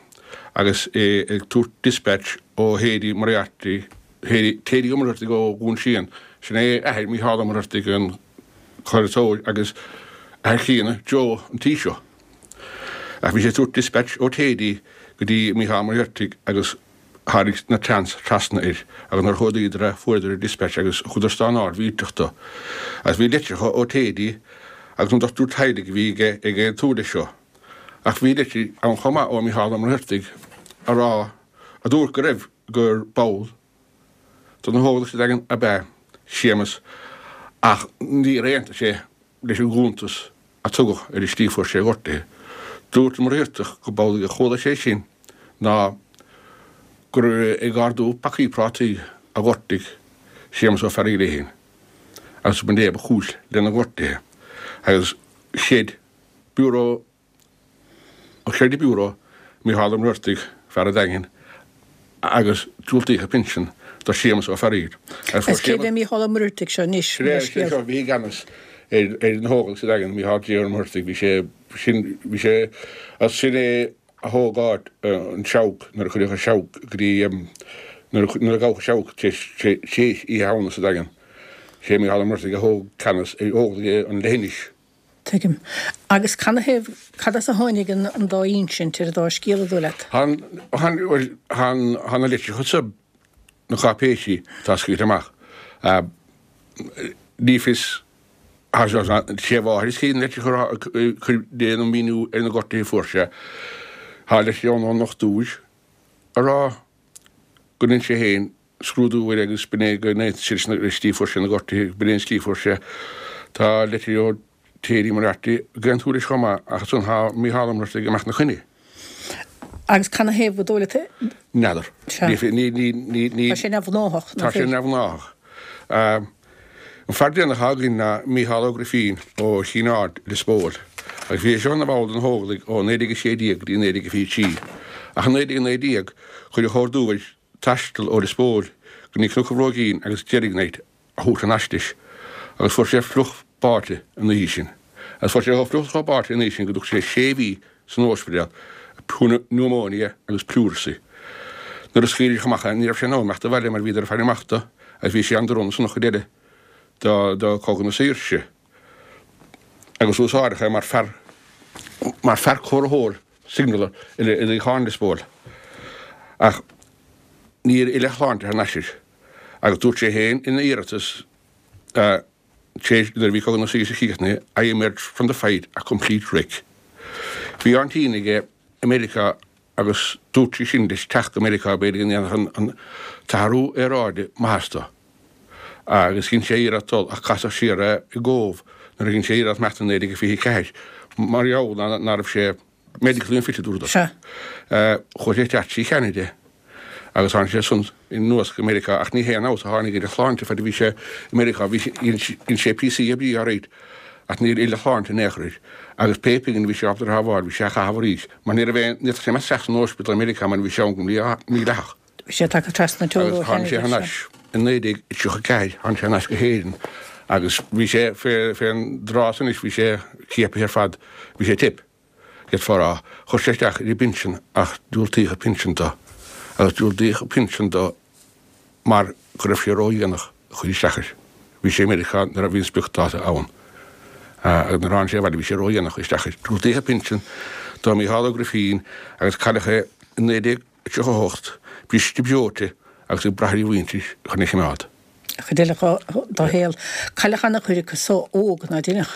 agus é ag tabhairt dispatch ó Thady Moriarty Thady Ó Muircheartaigh ó Dhún Síon, sin é athair Mícheál Ó Muircheartaigh an craoltóir agus athair Chlíona, Joe an Taoiseach. Ach bhí sé ag tabhairt dispatch ó Thady go dtí Mícheál Ó Muircheartaigh agus tháinig na Tans trasna air agus nuair a chuardaíodar é fuaireadar an dispatch agus thugadar stánáil mhillteach dó. Agus bhí litreacha ó Thady agus an dochtúir teaghlaigh a bhí aige ag aontú leis seo. Ach bhí litir ann chomh maith ó Mícheál Ó Muircheartaigh. a rá, a dúirt go raibh, gur ball de na hÓglaigh sa Daingean ab ea Séamus ach níor aontaigh sé leis an gcuntas a tugadh ar an slí a fuair sé a ghortuithe. Dúirt an Muircheartach go b'amhlaidh a chuala sé sin ná gur ag ardú pacaí prátaí a ghortaigh Séamus Ó Fearghaíl é féin agus b'in é ba chúis lena ghortuithe agus chreid Biúró Chreid an Biúró Mícheál Ó Muircheartaigh, fear an Daingin, agus diúltaíodh a phinsean do Séamus Ó Fearghaíl. Agus cé hé Mícheál Ó Muircheartaigh seo anois? Sin é, sin é seo a bhí i gceannas ar na hÓglaigh sa Daingean, Mícheál J. Ó Muircheartaigh, bhí sé, sin, bhí sé, as sin é a thóg áit an Seabhac nuair a cuireadh an Seabhac go dtí, nuair a, nuair a gabhadh an Seabhac tar éis, tar éis Oíche Shamhna sa Daingean. Sé Mícheál Ó Muircheartaigh a thóg ceannas ar Óglaigh an leithinis. Tuigim. Agus canathaobh, cad as a tháinig an dá insint ar an dá scéal, an dóigh leat? Tá, bhuel, tá na litreacha so, na cáipéisí atá scaoilte amach, ní fios, sé a mháthair a scríobh na litreacha ag cur déanamh míniú ar na gortuithe a fuair sé. Tá litir ann ón ndochtúir ag rá go ndein sé féin scrúdú air agus b'in é go n-aontaíonn sé leis an slí a fuair sé na gortuithe, b'in é an slí a fuair sé. Tá litir ó Terry Moriarty ag aontú leis chomh maith ach ansan tá Mícheál Ó Muircheartaigh ag imeacht 'na choinne. Agus canathaobh an dóigh leat? N'fheadar. Sea. Ní, ní, ní, ní. Tá sé neamhghnáthach, nach Tá sé neamhghnáthach. An fear deireanach atá againn ná Mícheál Ó Grifín ó Chinn Aird, Lios Póil. Agus bhí sé seo ina bhall de na hÓglaigh ó 1916 go dtí 1923. Ach i 1919 cuireadh ordú air taisteal ó Lios Póil go dtí Cnoc an Bhróigín agus Derrynight a thabhairt thar n-ais leis agus fuair sé fliuch báite an oíche sin. Agus fuair sé chomh fliuch chomh báite an oíche sin go dtug sé sé mhí san óispidéal, pneumonia agus pleurisy. Nuair a scaoileadh amach é ní raibh sé in ann imeacht abhaile mar bhíodar ag faire amach do agus bhí sé an-drona san chuid eile de Chogadh na Saoirse agus úsáideadh é mar fear mar fear comharthóir signaller i luíochán Lios Póil. Ach níor fhill a shláinte thar n-ais air agus dúirt sé féin ina iarratas tar éis nuair a bhí Cogadh na Saoirse críochnaithe, I emerged from the fight a complete wreck. Bhí aintín aige i Meiriceá agus dúirt sí sin leis teacht go Meiriceá b'fhéidir go ndéanfadh an t-athrú aeráide maitheas dó. Agus dhein sé iarracht dul ach casadh siar é i gCóbh nuair a dhein sé iarracht imeacht i 1924 mar gheall ná raibh sé medically unfit a dúradar. Sea. Chuaigh sé isteach trí Cheanada agus tháinig sé ansan anuas go Meiriceá ach ní haon fheabhas a tháinig ar a shláinte fad a bhí sé i Meiriceá. Bhí sé, dhein sé píosaí oibre alright ach níor fhill a shláinte in aon chor air agus pé pingin a bhí sé ábalta a shábháil bhí sé á chaitheamh arís mar ní raibh aon, ní fhéadfadh sé imeacht isteach san óispidéal i Meiriceá mar bhí sé ann go mídhleathach. Bhí sé tagtha trasna teora ó Agus tháinig sé thar n-ais i 1934, tháinig sé thar n-ais go hÉirinn agus bhí sé fén dtráth san anois, bhí sé ciapaithe ar fad, bhí sé tip, d'fhéadfá a rá. Chuir sé isteach ar an bpinsean ach diúltaíodh an pinsean dó agus diúltaíodh an pinsean dó mar go raibh sé ródhéanach a chur isteach air. Bhí sé i Meiriceá nuair a bhí an spriocdháta ann agus nuair a tháinig sé abhaile bhí sé ródhéanach a chur isteach air. Diúltaíodh an pinsean do Mhícheál Ó Grifín agus cailleadh é i 19. 38, briste breoite agus ag brath ar a mhuintir chun é a choimeád. An chuid eile dá shaol. Cailleadh an-chuid acu so óg, ná deineadh?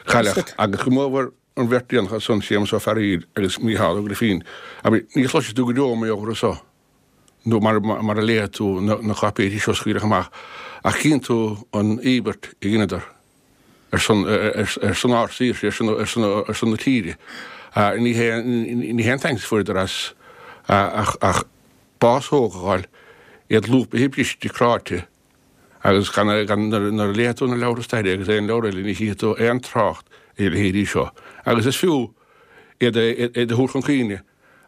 Cailleadh, agus go mórmhór an bheirt dhéanach ansan, Séamus Ó Fearghaíl agus Mícheál Ó Grifín. Abair, ní chloisfidh tú go deo mar gheall orthu so, nó mar a léifidh tú na cáipéisí seo a scaoileadh amach, ach cíonn tú an íobairt a dheineadar. ar son ar son ár saoirse, ar son ar son ar son na tíre. Ní hé ní hé an tsaint a fuaireadar as ach ach bás óg a fháil, iad lúbaithe briste cráite agus gan gan nuair a léifidh tú na leabhartha staire agus aon leabhar eile ní chífidh tú aon trácht ar a leithéidí seo. Agus is fiú iad a iad a thabhairt chun cuimhne.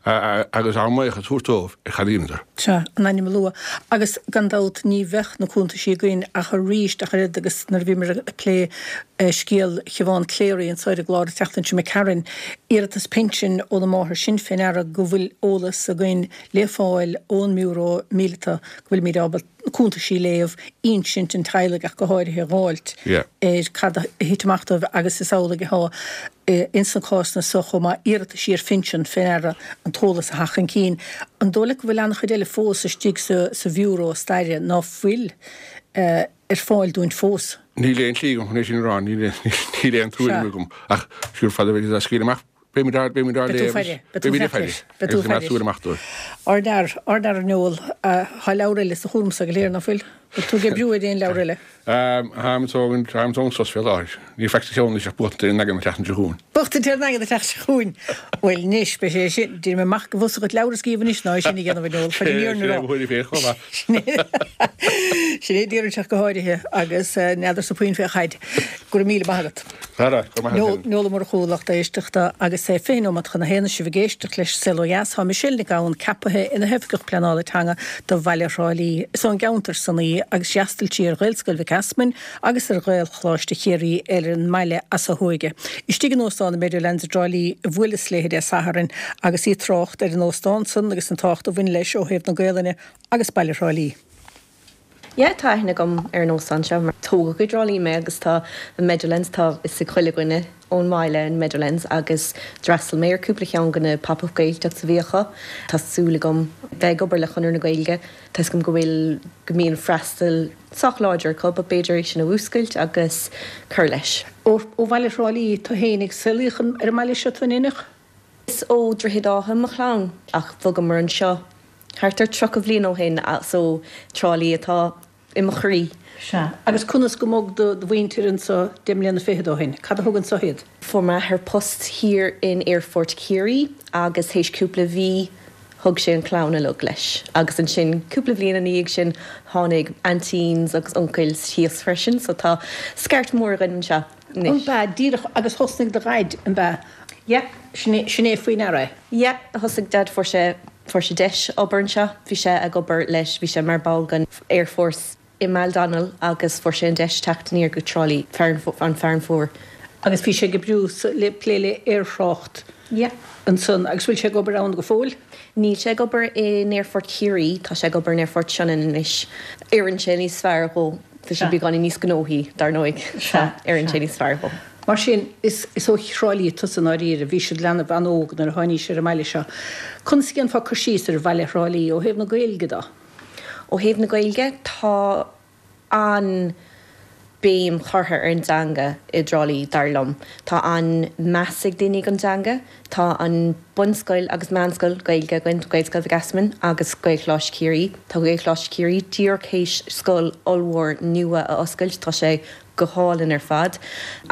agus ár mbuíochas a thabhairt dóibh ar cad a dheineadar. Sea, a n-ainm a lua. Agus gan dabht ní bheadh na cuntaisí againn ach arís ach oiread agus nuair a bhíomar ag plé scéal Shiobhán Cleary anso ar an gclár an tseachtain seo imigh tharainn, iarratas pinsin óna máthair sin fé ndeara go bhfuil eolas againn le fáil ón mBiúró Míleata go bhfuilimid ábalta na cuntaisí a léamh, insint an teaghlaigh ach go háirithe a dh'fháilt ar cad a thit amach dóibh agus is amhlaidh atá ins na cásanna so chomh maith, iarrataisí ar phinsean fé ndeara an t-eolas a theacht chun cinn. An dóigh leat go bhfuil an-chuid eile fós istigh sa Bhiúró Staire ná fuil ar fáil dúinn fós? Níl aon tslí agam chun é sin a rá, níl aon tuairim agam ach siúr fad a bheidh siad á scaoileadh amach. Beimid á beimid á Beidh tú léamh faire, beidh tú beimid ag faire faire leis, beidh tú agus ag faire coimeád leis. súil amach dóibh. Ár bhfear, ár bhfear a Noel, tá leabhar eile sa chúram sa go léir, nach bhfuil? Bhfuil tú ag oibriú ar aon leabhar eile? Táim ag tógaint, táim ag tógaint sos fé láthair. Níl faic sa cheann anois ach buachtaint ar an nDaingean an tseachtain seo chugainn. Buachtaint ar an nDaingean an tseachtain seo chugainn. Bhuel anois, beidh sé sin, déarfaidh mé amach go bhfusa dhuit leabhar a scríobh anois ná é sin a dhéanamh a Noel, chun an fhírinne Sin a é rá. mo thuairim féin chomh maith. Sin é déarfainnse ach go háirithe agus n'fheadarsa puinn fé chaid. Go raibh míle maith agat. Ara, go raibh maith agat féin. Noel Ó Murchú, lucht éisteachta, agus é 20 nóiméad chun a haon is sibh ag éisteacht leis Saol Ó Dheas. Tá Michelle Nic Gabhann ceapaithe ina hOifigeach Pleanála Teanga do bhaile Thrá Lí. Is ón gceantar san í agus d'fhreastail sí ar Ghaelscoil Mhic Easmainn agus ar Ghaelcholáiste Chiarraí ar an mbaile as a hóige. Istigh in Óstán an Meadowlands i dTrá Lí a bhuaileas léi Dé Sathairn agus í ag trácht ar an óstán san agus an tábhacht a bhain leis ó thaobh na Gaelainne agus baile Thrá Lí. Yeah, tá aithne agam ar an óstán seo mar tógadh i dTrá Lí mé agus tá an Meadowlands, tá fhios ag chuile dhuine ón mbaile an Meadowlands agus d'fhreastail mé ar cúpla cheann de na Pop-Up Gaeltachts a bhí acu. Tá súil agam bheith ag obair le Conradh na Gaeilge, tá fhios agam go bhfuil, go mbíonn freastal sách láidir acu but b'fhéidir é sin a mhúscailt agus cur leis. Ó bhaile Thrá Lí tú féin ach saolaíodh ar an mbaile seo tú in Inneach? Is ó Droichead Átha mo chlann ach bhogamar anseo thart ar 30 bhliain ó shin so Trá Lí atá i mo chroí. Sea. Agus conas go mbog do mhuintir anso deich mbliana fichead ó shin? Cad a thug anso iad? Fuair m'athair post thiar in Aerfort Chiarraí agus théis cúpla mhí thug sé an chlann uilig leis agus ansin cúpla bhliain ina dhiaidh sin tháinig aintíns agus uncails thíos freisin so tá scairt mhór againn anseo. Anois. An b'ea? Díreach, agus thosnaigh do dhaid, an b'ea? Yeah. Sin é, sin é faoi ndeara é. Yeah, thosaigh Dad, fuair sé, fuair sé deis obair anseo, bhí sé ag obair leis, bhí sé mar ball den Airforce i mBaile Dónaill agus fuair sé an deis teacht aniar go Trá Lí, fearann, an Fearann Fuar. Agus bhí sé ag oibriú sa, le, plé le aerthrácht. Yeah. Ansan, agus bhfuil sé ag obair ann go fóill? Níl sé ag obair in Aerfort Chiarraí, tá sé ag obair in Aerfort Sionainn anois. Oireann sé níos fearr dhó, tá sé beagáinín níos gnóthaí, dar ndóigh. Sea, Oireann sé níos fearr dhó. Mar sin, is ó Thrá Lí tusa i ndáiríre, bhís i do leanbh an-óg nuair a tháinís ar an mbaile seo. Conas a dhéanfá cur síos ar bhaile Thrá Lí ó thaobh na Gaeilge de? Ó thaobh na Gaeilge, tá an-bhéim curtha ar an dteanga i dTrá Lí, dar liom. Tá an-meas ag daoine don dteanga. Tá an bunscoil agus meánscoil Gaeilge againn, Gaelscoil Mhic Easmainn agus Gaelcholáiste Chiarraí. Tá Gaelcholáiste Chiarraí díreach théis scoil ollmhór nua a oscailt, tá sé go hálainn ar fad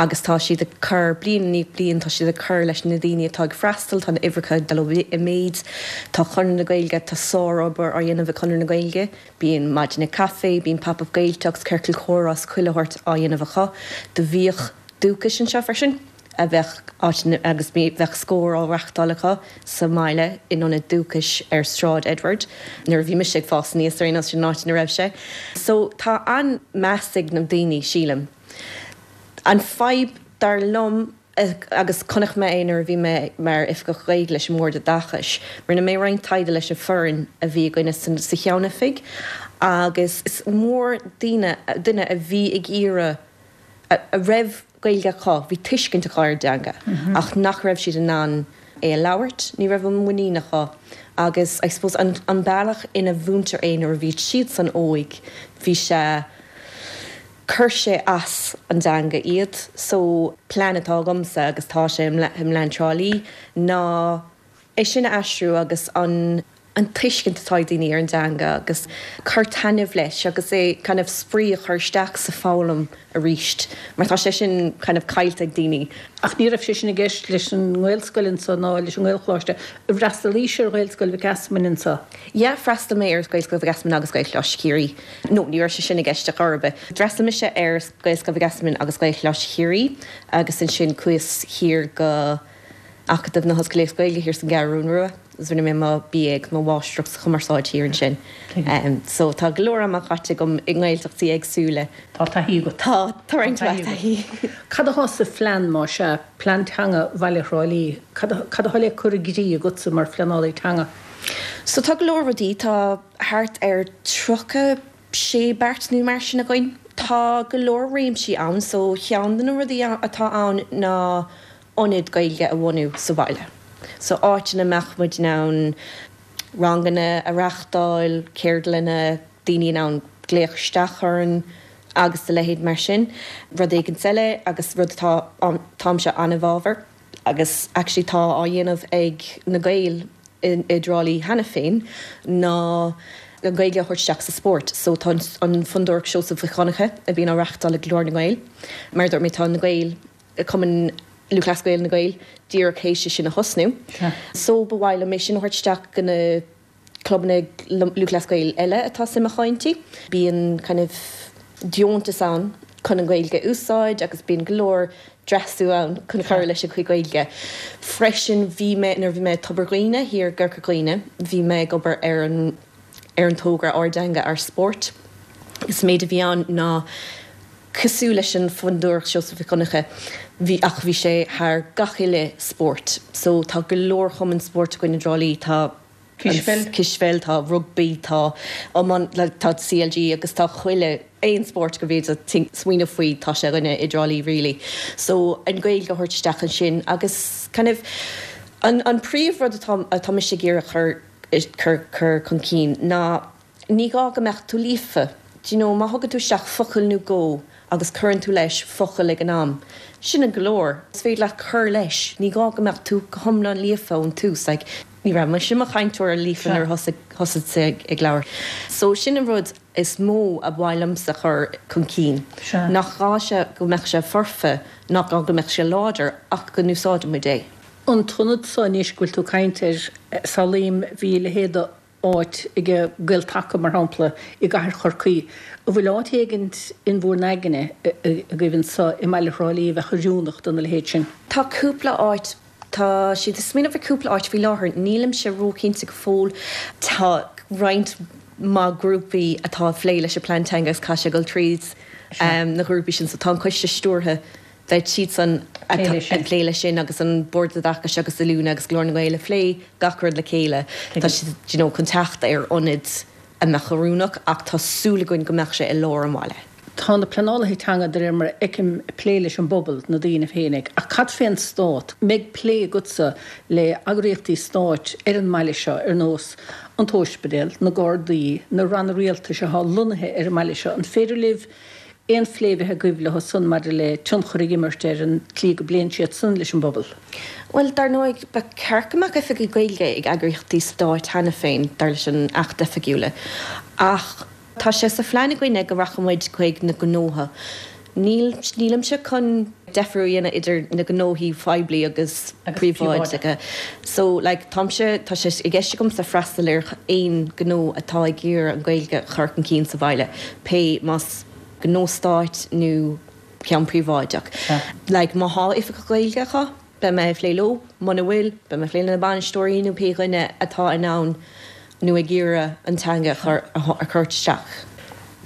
agus tá siad ag cur, bliain i ndiaidh bliain, tá siad ag cur leis na daoine atá ag freastal, tá na uimhreacha ag dul i méid. Tá Conradh na Gaeilge, tá sárobair á dhéanamh ag Conradh na Gaeilge. Bíonn maidine caife, bíonn Pop Up Gaeltacht, ciorcal comhrá is chuile shórt á dhéanamh acu. Do bhíodh Dúchas anseo freisin, a bheadh áit agus bheadh Scór á reachtáil acu sa mbaile in ionad Dúchais ar Sráid Edward nuair a bhí mise ag fás aníos ar aon nós, sin an áit ina raibh sé. So tá an-meas ag na daoine, sílim. An fadhb, dar liom, agus chonaic mé é nuair a bhí mé mar Oifigeach Gaeilge leis an mBord Oideachais. Rinne mé roinnt taighde leis an foireann a bhí againne sa cheannoifig agus is mór daoine, duine a bhí ag iarraidh, a raibh Gaeilge acu, bhí tuiscint acu ar an dteanga ach nach raibh siad in ann é a labhairt, ní raibh an muinín acu agus I suppose an bealach ina mhúintear é nuair a bhí siadsan óig, bhí sé. Chuir sé as an dteanga iad. So, plean atá agamsa, agus tá sé i mPlean Trá Lí, ná é sin a aistriú agus an an tuiscint atá ag daoine ar an dteanga agus cur taitneamh leis agus é kind of spraoi a chur isteach sa foghlaim arís mar tá sé sin kind of caillte ag daoine. Ach ní raibh sé sin i gceist leis an nGaelscoil anso ná leis an nGaelcholáiste. Ar fhreastalaís ar Ghaelscoil Mhic Easmainn anso? Yeah, freastal mé ar Ghaelscoil Mhic Easmainn agus Gaelcholáiste Chiarraí. No, ní raibh sé sin i gceist ar chor ar bith. D'fhreastail mise ar Ghaelscoil Mhic Easmainn agus Gaelcholáiste Chiarraí agus ansin chuas thiar go Acadamh na hOllscolaíochta Gaeilge thiar san gCeathrún Rua agus rinne mé mo BA agus mo Mháistreacht sa Chumarsáid thiar ansin. So tá go leor ama caite agam i nGaeltachtaí éagsúla. Tá taithí agat. Tá, tá roinnt mhaith taithí. Cad atá sa phlean, más ea, plean teanga Bhaile Thrá Lí? Cad atá le cur i gcrích agatsa mar phleanálaí teanga? So tá go leor rudaí, tá thart ar 36 beart nó mar sin againn. Tá go leor réimsí ann, so cheann de na rudaí atá ann ná ionad Gaeilge a bhunú sa bhaile. So áit ina mbeadh muid in ann ranganna a reachtáil, ceardlanna, daoine in ann glaoch isteach orainn agus a leithéid mar sin. Rud éigint eile agus rud atá, táimse an-i bhfabhar. agus actually tá á dhéanamh ag na Gaeil i dTrá Lí cheana féin, ná an Ghaeilge a thabhairt isteach sa spórt. So tá an Fondúireacht Seosamh Mhic Dhonncha a bhíonn á reachtáil ag Glór na nGael, mar a dúirt mé tá na Gaeil, Cumann Lúthchleas Gael na Gaeil díreach théis é sin a thosnú. So ba mhaith liom é sin a thabhairt isteach go na clubanna Lúthchleas Gael eile atá suim acu inti. Bíonn kind of deontas ann chun an Ghaeilge a úsáid agus bíonn go leor dreasú ann chun cur leis an chuid Gaeilge. Freisin bhí mé, nuair a bhí mé i Tobar Dhuibhne thiar i gCorca Dhuibhne, bhí mé ag obair ar an ar an togra Ár dTeanga Ár Spórt. Is méid a bhí ann ná cosúil leis an Fondúireacht Seosamh Mhic Dhonncha, bhí ach bhí sé thar gach uile spórt. So tá go leor chumann spóirt againn i dTrá Lí, tá Cispheil. Cispheil, tá rugbaí, tá iomáint, like tá CLG agus tá chuile, aon spórt go bhféadfá smaoineamh faoi, tá sé againne i dTrá Lí really. So an Ghaeilge a thabhairt isteach ansin agus kind of an an príomh rud atá atá mise ag iarraidh chur cur cur chun cinn ná Ní gá go mbeadh tú líofa. Do you know, má thugann tú isteach focal nó dhó agus cuireann tú leis focal ag an am, sin an go leor. Is féidir leat cur leis. Ní gá go mbeadh tú go hiomlán líofa ón tús. Like, ní raibh mise i mo chainteoir líofa nuair a thosaigh, thosaigh ag labhairt. So sin an rud is mó a mhaith liomsa chur chun cinn. Nach gá sé go mbeadh sé foirfe, nach gá go mbeadh sé láidir ach go n-úsáideann muid é. An t-ionad so anois go bhfuil tú ag caint air, samhlaím, bhí a leithéid de áit ag Gael-Taca, mar shampla, i gcathair Chorcaí. An bhfuil áit éigint in bhur n-aigne agaibh anso i mbaile Thrá Lí a bheadh oiriúnach dona leithéid sin? Tá cúpla áit. Tá siad ag smaoineamh ar cúpla áit faoi láthair. Nílimse róchinnte go fóill. Tá roinnt mhaith grúpaí atá ag plé leis an bplean teanga agus caithfidh sé dul tríd na grúpaí sin. So tá an coiste stiúrtha beidh siadsan ag plé leis sin agus an Bord Oideachais agus Oiliúna agus Glór na nGael ag plé gach rud le chéile. Tá siad you know chun teacht ar ionad a mbeadh oiriúnach ach tá súil againn go mbeadh sé i lár an bhaile. Tá na pleanálaithe teanga de réir mar a fheicim ag plé leis an bpobal, na daoine féinig, ach cad fén stát? Mbeidh plé agatsa le eagraíochtaí stáit ar an mbaile seo ar nós an t-óispidéal, na Gardaí, na ranna rialtais atá lonnaithe ar an mbaile seo, an féidir libh aon phlé a bheith agaibh leo san maidir le tionchar a imirt ar an tslí go bpléann siad san leis an bpobal? Bhuel, dar ndóigh, ba cheart go mbeadh oifigigh Gaeilge ag eagraíochtaí stáit cheana féin, dar leis an Acht oifigiúla. Ach tá sé sa phlean againne go rachadh muid chuig na gnótha. Níl, nílimse chun deifir a dhéanamh idir na gnóthaí phoiblí agus príobháideacha. So, like, táimse, tá sé i gceist agamsa freastal ar aon ghnó atá ag iarraidh an Ghaeilge a chur chun cinn sa bhaile, pé más gnó stáit nó ceann príobháideach. Like, má thá oifigeach Gaeilge acu, beidh mé ag plé leo, muna bhfuil, beidh mé ag plé le na bainisteoirí nó pé dhuine atá in ann nó ag iarraidh an teanga a chur a chur isteach.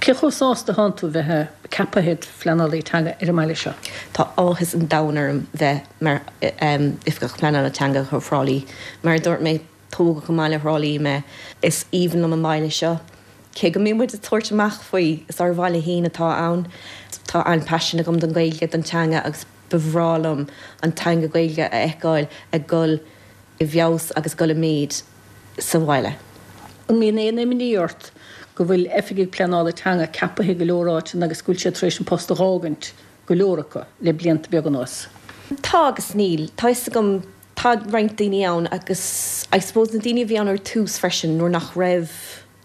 Cé chomh sásta atánn tú bheith ceaptha id phleanálaí teanga ar an mbaile seo? Tá áthas an domhain orm bheith mar Oifigeach Pleanála Teanga do Thrá Lí. Mar a dúirt mé, tógadh i mbaile Thrá Lí mé. Is aoibhinn liom an baile seo. Cé go mbíonn muid ag tabhairt amach faoi, is ár bhaile féin atá ann. Tá an-paisean agam don Ghaeilge, don teanga agus ba bhreá liom an teanga Gaeilge a fheiceáil ag dul i bhfeabhas agus ag dul i méid sa bhaile. An mbíonn aon imní ort go bhfuil oifigigh pleanála teanga ceapaithe i go leor áiteanna agus go bhfuil siad tar éis an post a dh'fhágaint, go leor acu, le blianta beaga anuas? Tá agus níl. Tá fhios agam, tá roinnt daoine ann agus I suppose na daoine a bhí ann ar tús freisin nuair nach raibh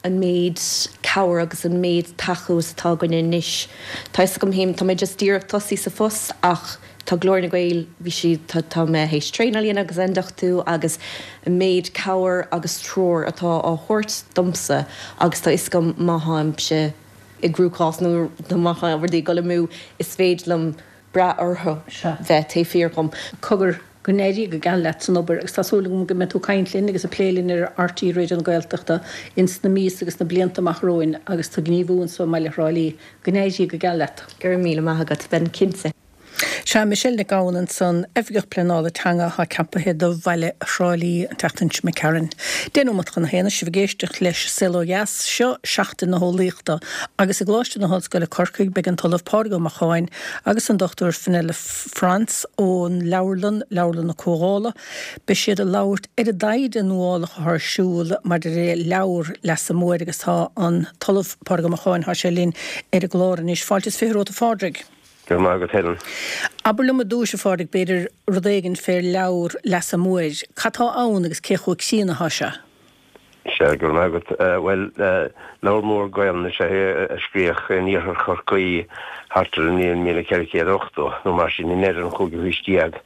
an méid cabhair agus an méid tacú is atá againne anois. Tá fhios agam féin, tá mé just díreach tosaí sa phost ach tá Glór na nGael, bhí siad, tá, tá mé théis traenáil a dhéanamh agus ionduchtú agus an méid cabhair agus treoir atá á thabhairt domsa agus tá fhios agam má tháimse i gcruachás nó má tá rudaí ag dul amú is féidir liom brath orthu bheith taobh thiar dhom. Cogar, go n-éirí go geal leat san obair agus tá súil agam go mbeidh tú ag caint linn agus ag plé linn ar RTÉ Raidió na Gaeltachta ins na míosa agus na blianta amach romhainn agus tú ag gníomhú anso i mbaile Thrá Lí. Go n-éirí go geal leat. Go raibh míle maith agat, beidh cinnte. Sea, Michelle Nic Gabhann ansan, Oifigeach Pleanála Teanga atá ceapaithe do bhaile Thrá Lí an tseachtain seo imigh tharainn. 10 nóimeat chun a haon, sibh ag éisteacht leis Saol Ó Dheas, seo Seachtain na hEolaíochta agus i gColáiste na hOllscoile Corcaigh beidh an tOllamh Pádraig Ó Macháin agus an Dr Fenella Frantz ón leabharlann, Leabharlann na Comhdhála. Beidh siad ag labhairt ar an dtaighde nuálach atá ar siúl maidir le leabhar Leasa Móir agus tá an tOllamh Pádraig Ó Macháin, tá sé linn ar an gclár anois. Fáilte is 20 romhat a Phádraig. Go raibh maith agat Helen. Abair liom i dtúis, a Phádraig, b'fhéidir, rud éigin fé'r leabhar Leasa Móir. Cad tá ann agus cé chomh críonna atá sé? Sea, go raibh maith agat. Bhuel, leabhar mór Gaelainne is ea é a scríodh in iarthar Chorcaí thart ar an mbliain 1480 nó mar sin, i ndeireadh an chúigiú haois déag.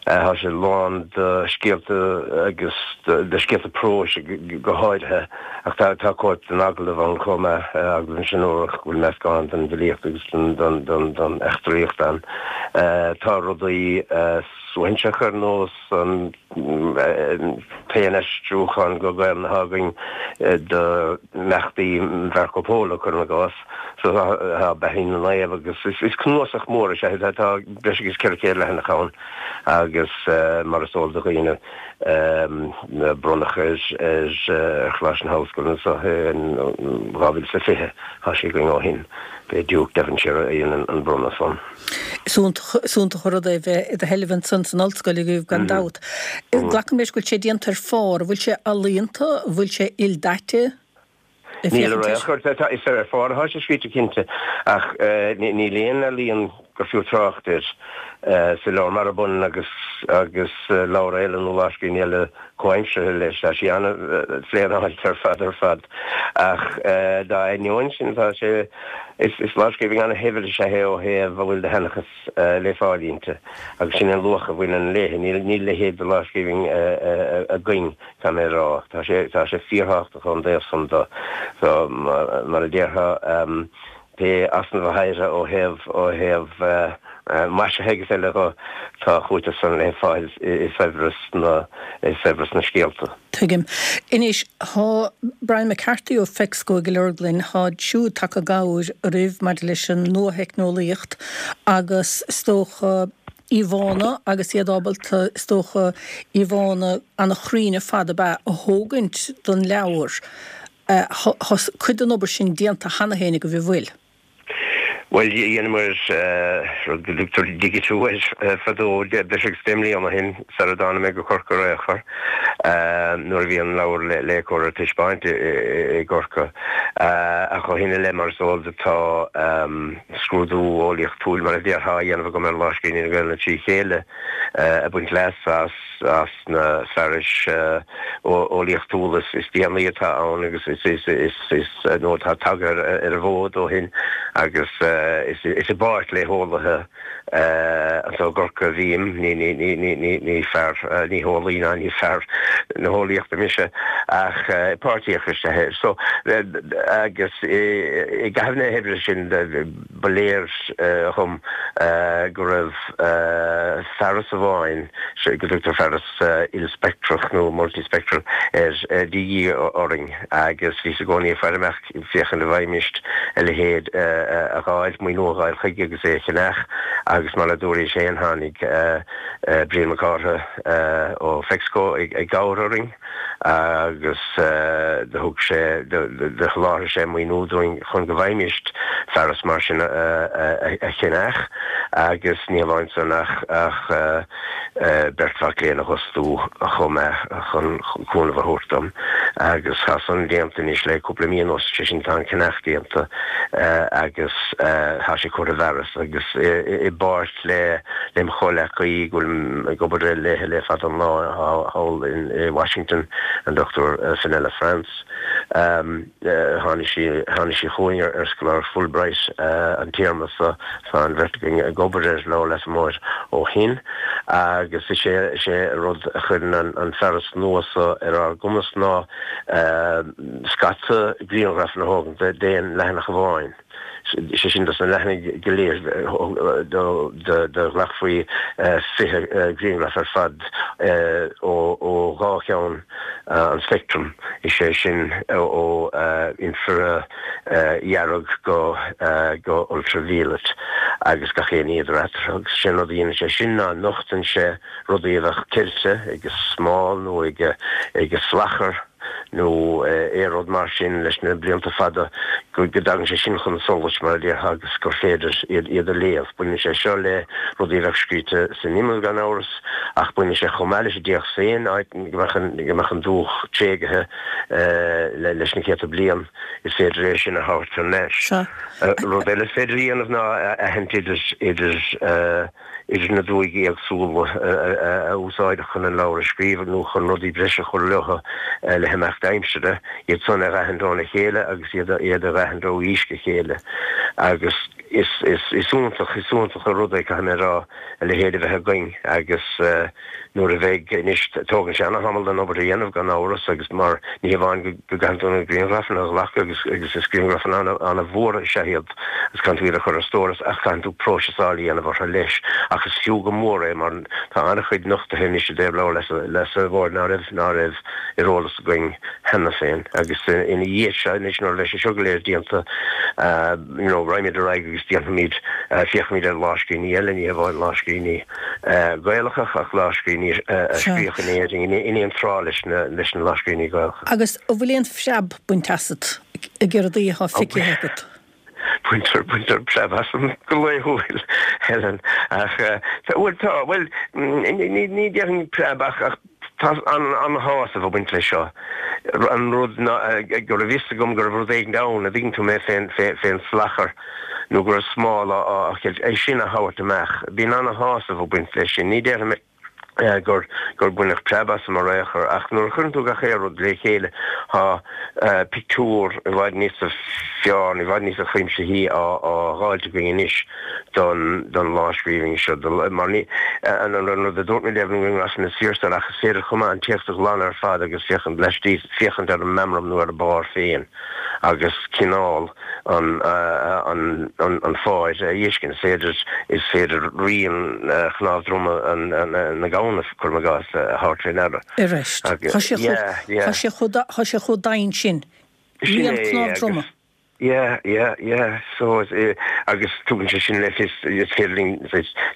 Tá sé lán de scéalta agus de scéalta próis go háirithe, ach tá cóip den agallamh ann chomh maith, Agallamh Inse Nuadhach, go bhfuil meascán den bhfilíocht agus den eachtraíocht ann. Tá rudaí suaithinseacha ar nós an t-aon aistriúchán go Gaelainn atá againn d'imeachtaí Mharco Polo, cuirim i gcás. So tá beathaí na naomh agus is cnuasach mór is ea é. Tá breis agus 400 leathanach ann agus mar is eol do dhaoine bronnadh ar Choláiste na hOllscoile anseo in 2020, tá sé againn ó shin. B'é Diúc Devonshire a dhein an bronnadh san. Is iontach an rud é bheith i do sheilbh ansan san ollscoil agaibh gan dabht. Glacaim leis go bhfuil sé déanta ar phár, an bhfuil sé ealaíonta, an bhfuil sé ildaite le Níl féachaint air? Ar aon chor, is ar phár atá sé scríte cinnte, ach níl aon ealaíon gur fiú trácht air sa leabhar, marab ionann agus agus leabhar eile nó lámhscríbhinn eile comhaimseartha leis. Tá sí an-phléanáilte ar fad ar fad, ach dá ainneoin sin tá sé, is lámhscríbhinn an-shaibhir is ea é ó thaobh a bhfuil de sheanchas le fáil inti, agus sin an luach a bhaineann léi. Níl a leithéid de lámhscríbhinn againn, caithfidh mé a rá. Tá sé, tá sé fíorthábhachtach ón dtaobh san de. So, mar a déarfá, pé easnamh a théire ó thaobh, ó thaobh maisithe agus eile dho, tá a chúiteamh san le fáil i saibhreas na, i saibhreas na scéalta. Tuigim. Anois, thá Brian McCarthy ó Fexco ag an leabharlann, tháid siúd tagtha i gcabhair oraibh maidir leis an nuatheicneolaíocht agus is dócha íomhánna agus iad ábalta, is dócha, íomhánna ana-chruinn ar fad ab ea, a thógaint don leabhar. Thá cuid den obair sin déanta cheana féin agaibh, an bhfuil? Bhuel, dheineamar rud go dtugtar digitiú air fadó, breis agus 10 mbliana ó shin, sara dtáinig mé go Corcaigh ar aon chor, nuair a bhí an leabhar le cur ar taispeáint i gCorcaigh. Ach ó shin i leith, mar is eol duit, tá scrúdú eolaíochtúil, mar a déarfá, á dhéanamh agam ar lámhscríbhinní na Gaelainne trí chéile, ag baint leas as. as na fearais eolaíochtúla is déanaí atá ann agus is nó atá tagtha ar an bhfód ó shin agus is i bpáirt le heolaithe anseo i gCorcaigh a bhím, ní fear, ní heolaí ná ní fear na heolaíochta mise ach páirtíoch is ea é. So agus i gcaitheamh na hoibre sin ba léir dhom go raibh fearas amháin, go dtugtar fearas ilspeictreach nó multispectral air, de dhíth orainn agus bhíos i gcónaí ag faire amach féachaint an bhfaighimist a leithéid a dh'fháil, maoiniú a dh'fháil chuige agus é a cheannach agus mar a dúraís féin tháinig Brian Mac Cártha ó Fexco i gcabhair orainn. agus do thug sé, do sholáthair sé maoiniú dúinn chun go bhfaighimist fearas mar sin a cheannach agus ní hamháin san ach beirt mhac léinn a dh'fhostú chomh maith chun cúnamh a thabhairt dom agus tá san déanta anois le cúpla mí anuas, sé sin tá an ceannach déanta agus tá sé curtha i bhfearas agus i bpáirt le lem chomhleacaí go bhfuilim ag obair léithe le fada an lá thall i Washington, an Dr Fenella France. Tháinig sí tháinig sí chugainn ar scoláireacht Fulbright an téarma seo, tá an bheirt againn ag obair ar Leabhar Leasa Móir ó shin agus is é is é rud a chuireann an fearas nua seo ar ár gcumas ná scata grianghrafanna a thógaint d'aon leathanach amháin. sé sin dos na leathanaigh go léir, do ghlacfaí 20 grianghraf ar fad ó dhá cheann an speictrim, is é sin ó infridhearg go go ultraviolet agus gach aon ní idir eatarthu. Agus sé an rud a dhéanann sé sin ná nochtann sé rudaí a bheadh ceilte ag smál nó ag salachar. nó aon rud mar sin leis na blianta fada, go dtagann sé sin chun solais, mar a déarfá, agus gur féidir iad a léamh. Baineann sé seo le rudaí a bheadh scríte san imeall, gan amhras, ach baineann sé chomh maith leis an dtéacs féin, áit go mbeadh an dúch tréigthe leis na céadta bliain, is féidir é sin a thabhairt thar n-ais. Rud eile is féidir a dhéanamh ná a aithint idir idir na dúigh éagsúla a úsáideadh chun an leabhar a scríobh nó chun rudaí breise a chur leo le himeacht aimsire, iad san a dh'aithint óna chéile agus iad a dh'aithint ó aois go chéile. Agus is iontach, is iontach an rud é, caithfidh mé a rá, a leithéid a bheith againn agus nuair a bheidh, anois, tógann sé ana-thamall an obair a dhéanamh gan amhras agus mar ní hamháin go gcaitheann tú na grianghrafanna a ghlacadh agus agus is grianghrafanna ana-mhór is ea iad agus caitheann tú iad a chur ar stóras ach caitheann tú próiseasáil a dhéanamh orthu leis ach is fiú go mór é mar tá an-chuid nochtaithe anois i dtaobh Leabhar Leasa Mhóir ná raibh ná raibh ar eolas againn cheana féin agus ina dhiaidh seo anois nuair a bheidh sé seo go léir déanta you know raghaimid ar aghaidh agus déanfaimid féachfaimid ar lámhscríbhinní eile ní hamháin lámhscríbhinní Gaelacha ach lámhscríbhinní a scríodh in Éirinn in aon tráth leis na lámhscríbhinní Gaelacha. Agus an bhfuil aon phreab bainte asat ag rudaí atá feicthe agat? Baintear, baintear preab asam go laethúil, Helen, ach, bhuel tá, bhuel, ní déarfainn preab ach, ach Tá an-shásamh ag baint leis seo. An rud ná go raibh fhios agam go raibh rud éigin ann, a dtuigeann tú mé, fén salachar nó go raibh smál á cheilt, é sin a thabhairt amach. Bíonn an-shásamh ag baint leis sin. Ní déarfaidh mé gur baineadh preab asam ar aon chor ach nuair a chuireann tú gach aon rud le chéile tá pictiúr i bhfad níosa fearr, i bhfad níosa chuimsithí á dháilt againn anois. don don lámhscríbhinn seo mar ní an rud a dúirt mé libh na grianghrafanna is fíor ach is féidir chomh maith an téacs a ghlanadh ar fad agus féachaint laistíos féachaint ar an meamram nó ar an bpár féin agus cineál an an an an pháir a fheiscint. Is féidir is féidir rian chnámh droma an na gamhna cuirim i gcás a thabhairt fé ndeara. Arís, tá sé chomh tá sé chomh tá sé chomh doimhin sin. Sin Rian é cnámh droma. agus Yeah, yeah, yeah, so agus tugann sé sin le fios, is féidir linn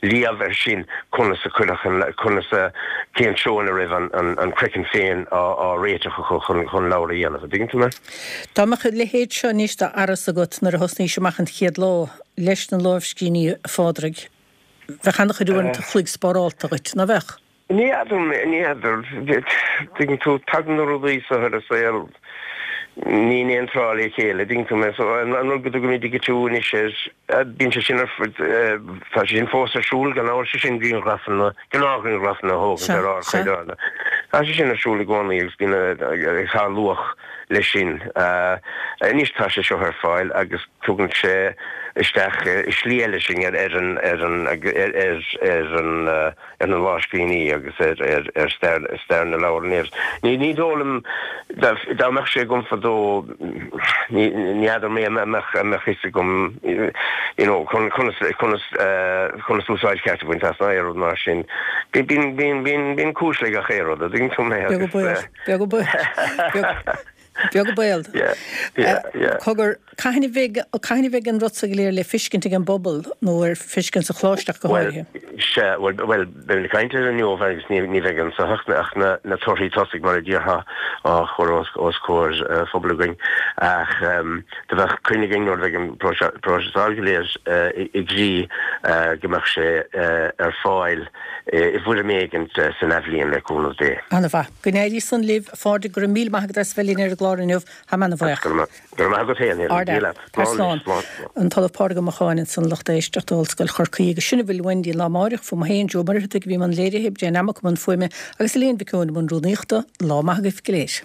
léamh air sin conas a cuireadh an, conas a, cén treo ina raibh an, an, an craiceann féin á, á réiteach acu chun, chun leabhar a dhéanamh, an dtuigeann tú mé? Dá mbeadh a leithéid seo anois d'fhearas agat nuair a thosnaís amach an chéad lá leis na lámhscríbhinní, a Phádraig, bheadh an-chuid uaireanta an chloig spárálta dhuit, ná bheadh? Ní fheadar, ní fheadar. Tuigeann tú, tagann na rudaí seo ar an saol ní in aon tráth le chéile, tuigeann tú mé. So an rud go dtugaimid digitiú anois air, bíonn sé sin ar, tá sé sin fós ar siúl gan amhras, sé sin grianghrafanna, gnáthghrianghrafanna a thógaint ar ardchaighdeán. Tá sé sin ar siúl i gcónaí agus bíonn tá luach leis sin. Anois tá sé seo ar fáil agus tugann sé isteach i slí eile sinn ar an, ar an, ar, ar an, ar na lámhscríbhinní agus ar stair na leabhar in Éirinn. Ní dóigh liom, dá mbeadh sé agam fadó, ní fheadar mé an mbeadh fhios agam you know conas conas úsáid cheart a bhaint as ná aon rud mar sin. Bíonn cúis le gach aon rud, a dtuigeann tú mé agus. Beag an baol. Beag an baol. Cogar, cathain a bheidh, cathain a bheidh an rud so go léir le feiscint ag an bpobal, nó ar feiscint sa choláiste ach go háirithe? Bhuel, sea, bhuel, bhuel, beimid ag caint air inniu agus ní, ní bheidh anso ach, ach na, na torthaí tosaigh mar a déarfá á chur os, os comhair phobail againn. Ach do bheadh coinne againn nuair a bheidh an próiseasáil go léir i gcrích go mbeadh sé ar fáil i bhfoirm éigin san athbhliain le cúnamh Dé. Ana-mhaith. Go n-éirí san libh, a Phádraig, go raibh míle maith agat as bheith linn ar an gclár inniu. Tá mé ana-bhuíoch. Go raibh maith agat féin, Helen. Dia leat. Tar slán. An tOllamh Pádraig Ó Macháin ansan, lucht éisteachta Ollscoil Chorcaí agus sin a bhfuil uainn go dtí an lá amáireach. Fúm féin, Joe Ó Muircheartaigh a bhí i mbun léirithe, Brian Lammock i mbun fuaime agus Elaine Mhic Eoin i mbun rúnaíochta. Lá maith agaibh go léir.